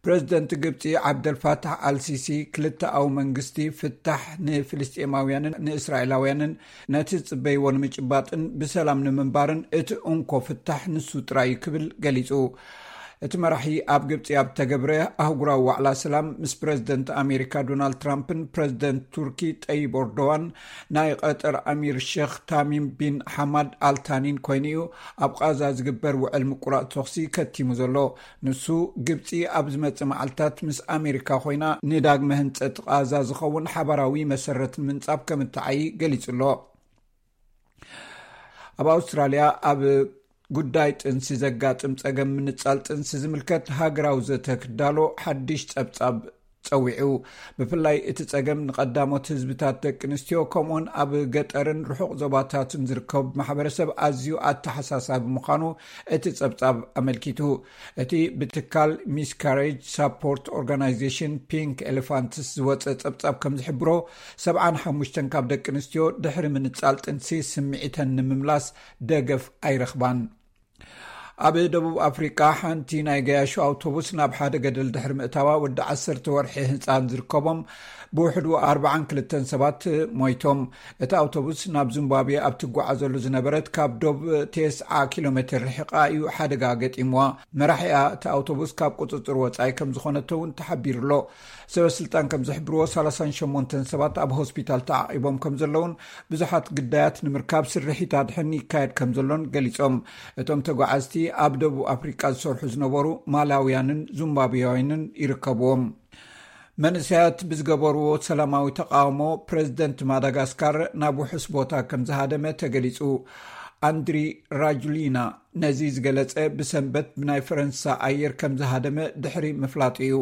ፕረዚደንት ግብጺ ዓብደልፋታሕ ኣልሲሲ ክልተኣዊ መንግስቲ ፍታሕ ንፍልስጤማውያንን ንእስራኤላውያንን ነቲ ዝጽበይዎ ንምጭባጥን ብሰላም ንምንባርን እቲ እንኮ ፍታሕ ንሱ ጥራይ እዩ ክብል ገሊጹ። እቲ መራሒ ኣብ ግብጺ ኣብ ተገብረ ኣህጉራዊ ዋዕላ ሰላም ምስ ፕረዚደንት ኣሜሪካ ዶናልድ ትራምፕን ፕረዚደንት ቱርኪ ጠይብ ኤርዶዋን ናይ ቀጠር ኣሚር ሼክ ታሚም ቢን ሓማድ ኣልታኒን ኮይኑ እዩ ኣብ ቃዛ ዝግበር ውዕል ምቁራጽ ተኹሲ ከቲሙ ዘሎ። ንሱ ግብጺ ኣብ ዝመጽእ መዓልታት ምስ ኣሜሪካ ኮይና ንዳግመ ህንጸት ቃዛ ዝኸውን ሓባራዊ መሰረት ንምንጻፍ ከም እትዓዪ ገሊጹ ኣሎ። ኣብ ኣውስትራልያ ኣብ ጉዳይ ጥንሲ ዘጋጥም ጸገም ምንጻል ጥንሲ ዝምልከት ሃገራዊ ዘተ ክዳሎ ሓድሽ ጸብጻብ ጸዊዑ። ብፍላይ እቲ ጸገም ንቐዳሞት ህዝብታት ደቂ ኣንስትዮ ከምኡውን ኣብ ገጠርን ርሑቕ ዞባታትን ዝርከቡ ማሕበረሰብ ኣዝዩ ኣተሓሳሳቢ ምዃኑ እቲ ጸብጻብ ኣመልኪቱ። እቲ ብትካል ሚስካሬጅ ሳፖርት ኦርጋናይዜሽን ፒንክ ኤሌፋንትስ ዝወጸ ጸብጻብ ከም ዝሕብሮ፣ ሰብዓን ሓሙሽተን ካብ ደቂ ኣንስትዮ ድሕሪ ምንጻል ጥንሲ ስምዒተን ንምምላስ ደገፍ ኣይረኽባን። ኣብ ደቡብ ኣፍሪቃ ሓንቲ ናይ ገያሾ ኣውቶቡስ ናብ ሓደ ገደል ድሕሪ ምእታዋ፣ ወዲ ዓሰርተ ወርሒ ህጻን ዝርከቦም ብውሕዱ ኣርባዓን ክልተን ሰባት ሞይቶም። እቲ ኣውቶቡስ ናብ ዚምባብዌ ኣብ ትጓዓዘሉ ዝነበረት ካብ ዶብ ተስዓ ኪሎ ሜትር ርሒቓ እዩ ሓደጋ ገጢምዋ። መራሒኣ እቲ ኣውቶቡስ ካብ ቁጽጽር ወጻኢ ከም ዝኾነቶ እውን ተሓቢሩ ኣሎ። ሰበ ስልጣን ከም ዝሕብርዎ፣ ሰላሳን ሸሞንተን ሰባት ኣብ ሆስፒታል ተዓቒቦም ከም ዘለውን ብዙሓት ግዳያት ንምርካብ ስርሒት ኣድሕን ይካየድ ከም ዘሎን ገሊጾም። እቶም ተጓዓዝቲ ኣብ ደቡብ ኣፍሪቃ ዝሰርሑ ዝነበሩ ማላውያንን ዙምባብያውያንን ይርከብዎም። መንእሰያት ብዝገበርዎ ሰላማዊ ተቃውሞ ፕረዚደንት ማዳጋስካር ናብ ውሑስ ቦታ ከም ዝሃደመ ተገሊጹ። ኣንድሪ ራጁሊና ነዚ ዝገለጸ ብሰንበት ብናይ ፈረንሳ ኣየር ከም ዝሃደመ ድሕሪ ምፍላጡ እዩ።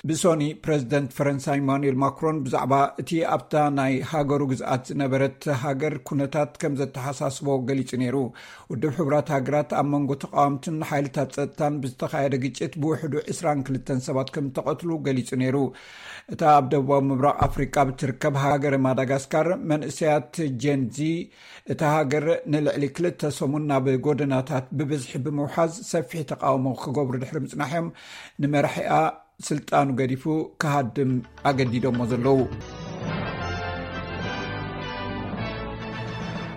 ብሶኒ ፕረዚደንት ፈረንሳ ኢማኑኤል ማክሮን ብዛዕባ እቲ ኣብታ ናይ ሃገሩ ግዝኣት ዝነበረት ሃገር ኩነታት ከም ዘተሓሳስቦ ገሊጹ ነይሩ። ውድብ ሕቡራት ሃገራት ኣብ መንጎ ተቃወምትን ሓይልታት ጸጥታን ብዝተኻየደ ግጭት ብውሕዱ ዕስራን ክልተን ሰባት ከም እተቐትሉ ገሊጹ ነይሩ። እታ ኣብ ደቡባዊ ምብራቕ ኣፍሪቃ ብትርከብ ሃገረ ማዳጋስካር መንእሰያት ጀንዚ እታ ሃገር ንልዕሊ ክልተ ሰሙን ናብ ጎደናታት ብብዝሒ ብምውሓዝ ሰፊሕ ተቃውሞ ክገብሩ ድሕሪ ምጽናሖም፣ ንመራሒኣ ስልጣኑ ገዲፉ ክሃድም ኣገዲዶሞ ዘለዉ።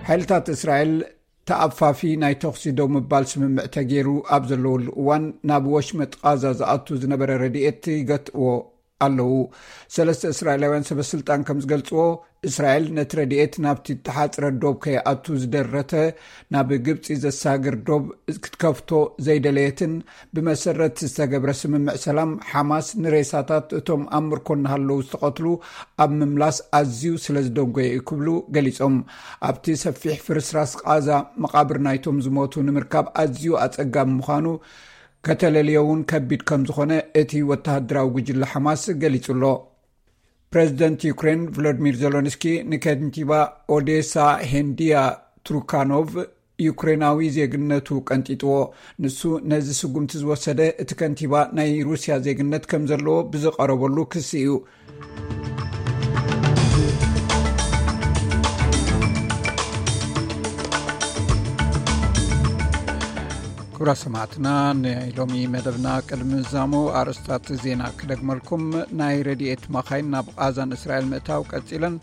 ሓይልታት እስራኤል ተኣፋፊ ናይ ተኹሲ ደው ምባል ስምምዕ ተገይሩ ኣብ ዘለወሉ እዋን፣ ናብ ወሽመጥ ቃዛ ዝኣቱ ዝነበረ ረድኤት ይገትእዎ ኣለዉ። ሰለስተ እስራኤላውያን ሰበ ስልጣን ከም ዝገልጽዎ፣ እስራኤል ነቲ ረድኤት ናብቲ እተሓጽረ ዶብ ከይኣቱ ዝደረተ፣ ናብ ግብጺ ዘሳግር ዶብ ክትከፍቶ ዘይደለየትን፣ ብመሰረት ዝተገብረ ስምምዕ ሰላም፣ ሓማስ ንሬሳታት እቶም ኣብ ምርኮ እናሃለዉ ዝተቐትሉ ኣብ ምምላስ ኣዝዩ ስለ ዝደንጎየ እዩ ክብሉ ገሊጾም። ኣብቲ ሰፊሕ ፍርስራስ ቃዛ፣ መቓብር ናይቶም ዝሞቱ ንምርካብ ኣዝዩ ኣጸጋሚ ምዃኑ፣ ከተለልዮ እውን ከቢድ ከም ዝኾነ እቲ ወተሃደራዊ ጉጅለ ሓማስ ገሊጹ ኣሎ። ፕረዚደንት ዩክሬን ቮሎዲሚር ዜሎንስኪ ንከንቲባ ኦዴሳ ሄንዲያ ትሩካኖቭ ዩክሬናዊ ዜግነቱ ቀንጢጥዎ። ንሱ ነዚ ስጉምቲ ዝወሰደ፣ እቲ ከንቲባ ናይ ሩስያ ዜግነት ከም ዘለዎ ብዝቐረበሉ ክሲ እዩ። ክቡራት ሰማዕትና፣ ናይ ሎሚ መደብና ቅድሚ ምዛሙ ኣርእስታት ዜና ክደግመልኩም። ናይ ረድኤት መኻይን ናብ ቓዛን እስራኤል ምእታው ቀጺለን።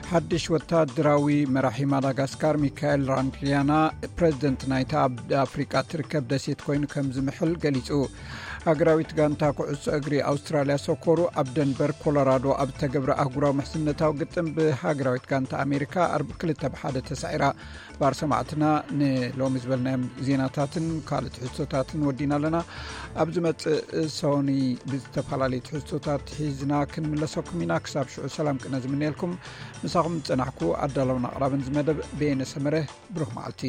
ሓድሽ ወታደራዊ መራሒ ማዳጋስካር ሚካኤል ራንግሊያና ፕሬዚደንት ናይታ ኣብ ኣፍሪቃ ትርከብ ደሴት ኮይኑ ከም ዝምሕል ገሊጹ። ሃገራዊት ጋንታ ኩዕሶ እግሪ ኣውስትራልያ ሶኮሩ ኣብ ደንቨር ኮሎራዶ ኣብ ዝተገብረ ኣህጉራዊ ምሕዝነታዊ ግጥም ብሃገራዊት ጋንታ ኣሜሪካ ኣርብ ክልተ ብሓደ ተሳዒራ። ባር ሰማዕትና፣ ንሎሚ ዝበልናዮም ዜናታትን ካልእ ትሕዝቶታትን ወዲና ኣለና። ኣብ ዝመጽእ ሰኒ ብዝተፈላለዩ ትሕዝቶታት ሒዝና ክንምለሰኩም ኢና። ክሳብ ሽዑ ሰላም ቅነ ዝምነየልኩም፣ ምሳኹም ዝጸናሕኩ ኣዳለውን ኣቕራብን ዝመደብ በየነ ሰመረ። ብሩኽ መዓልቲ።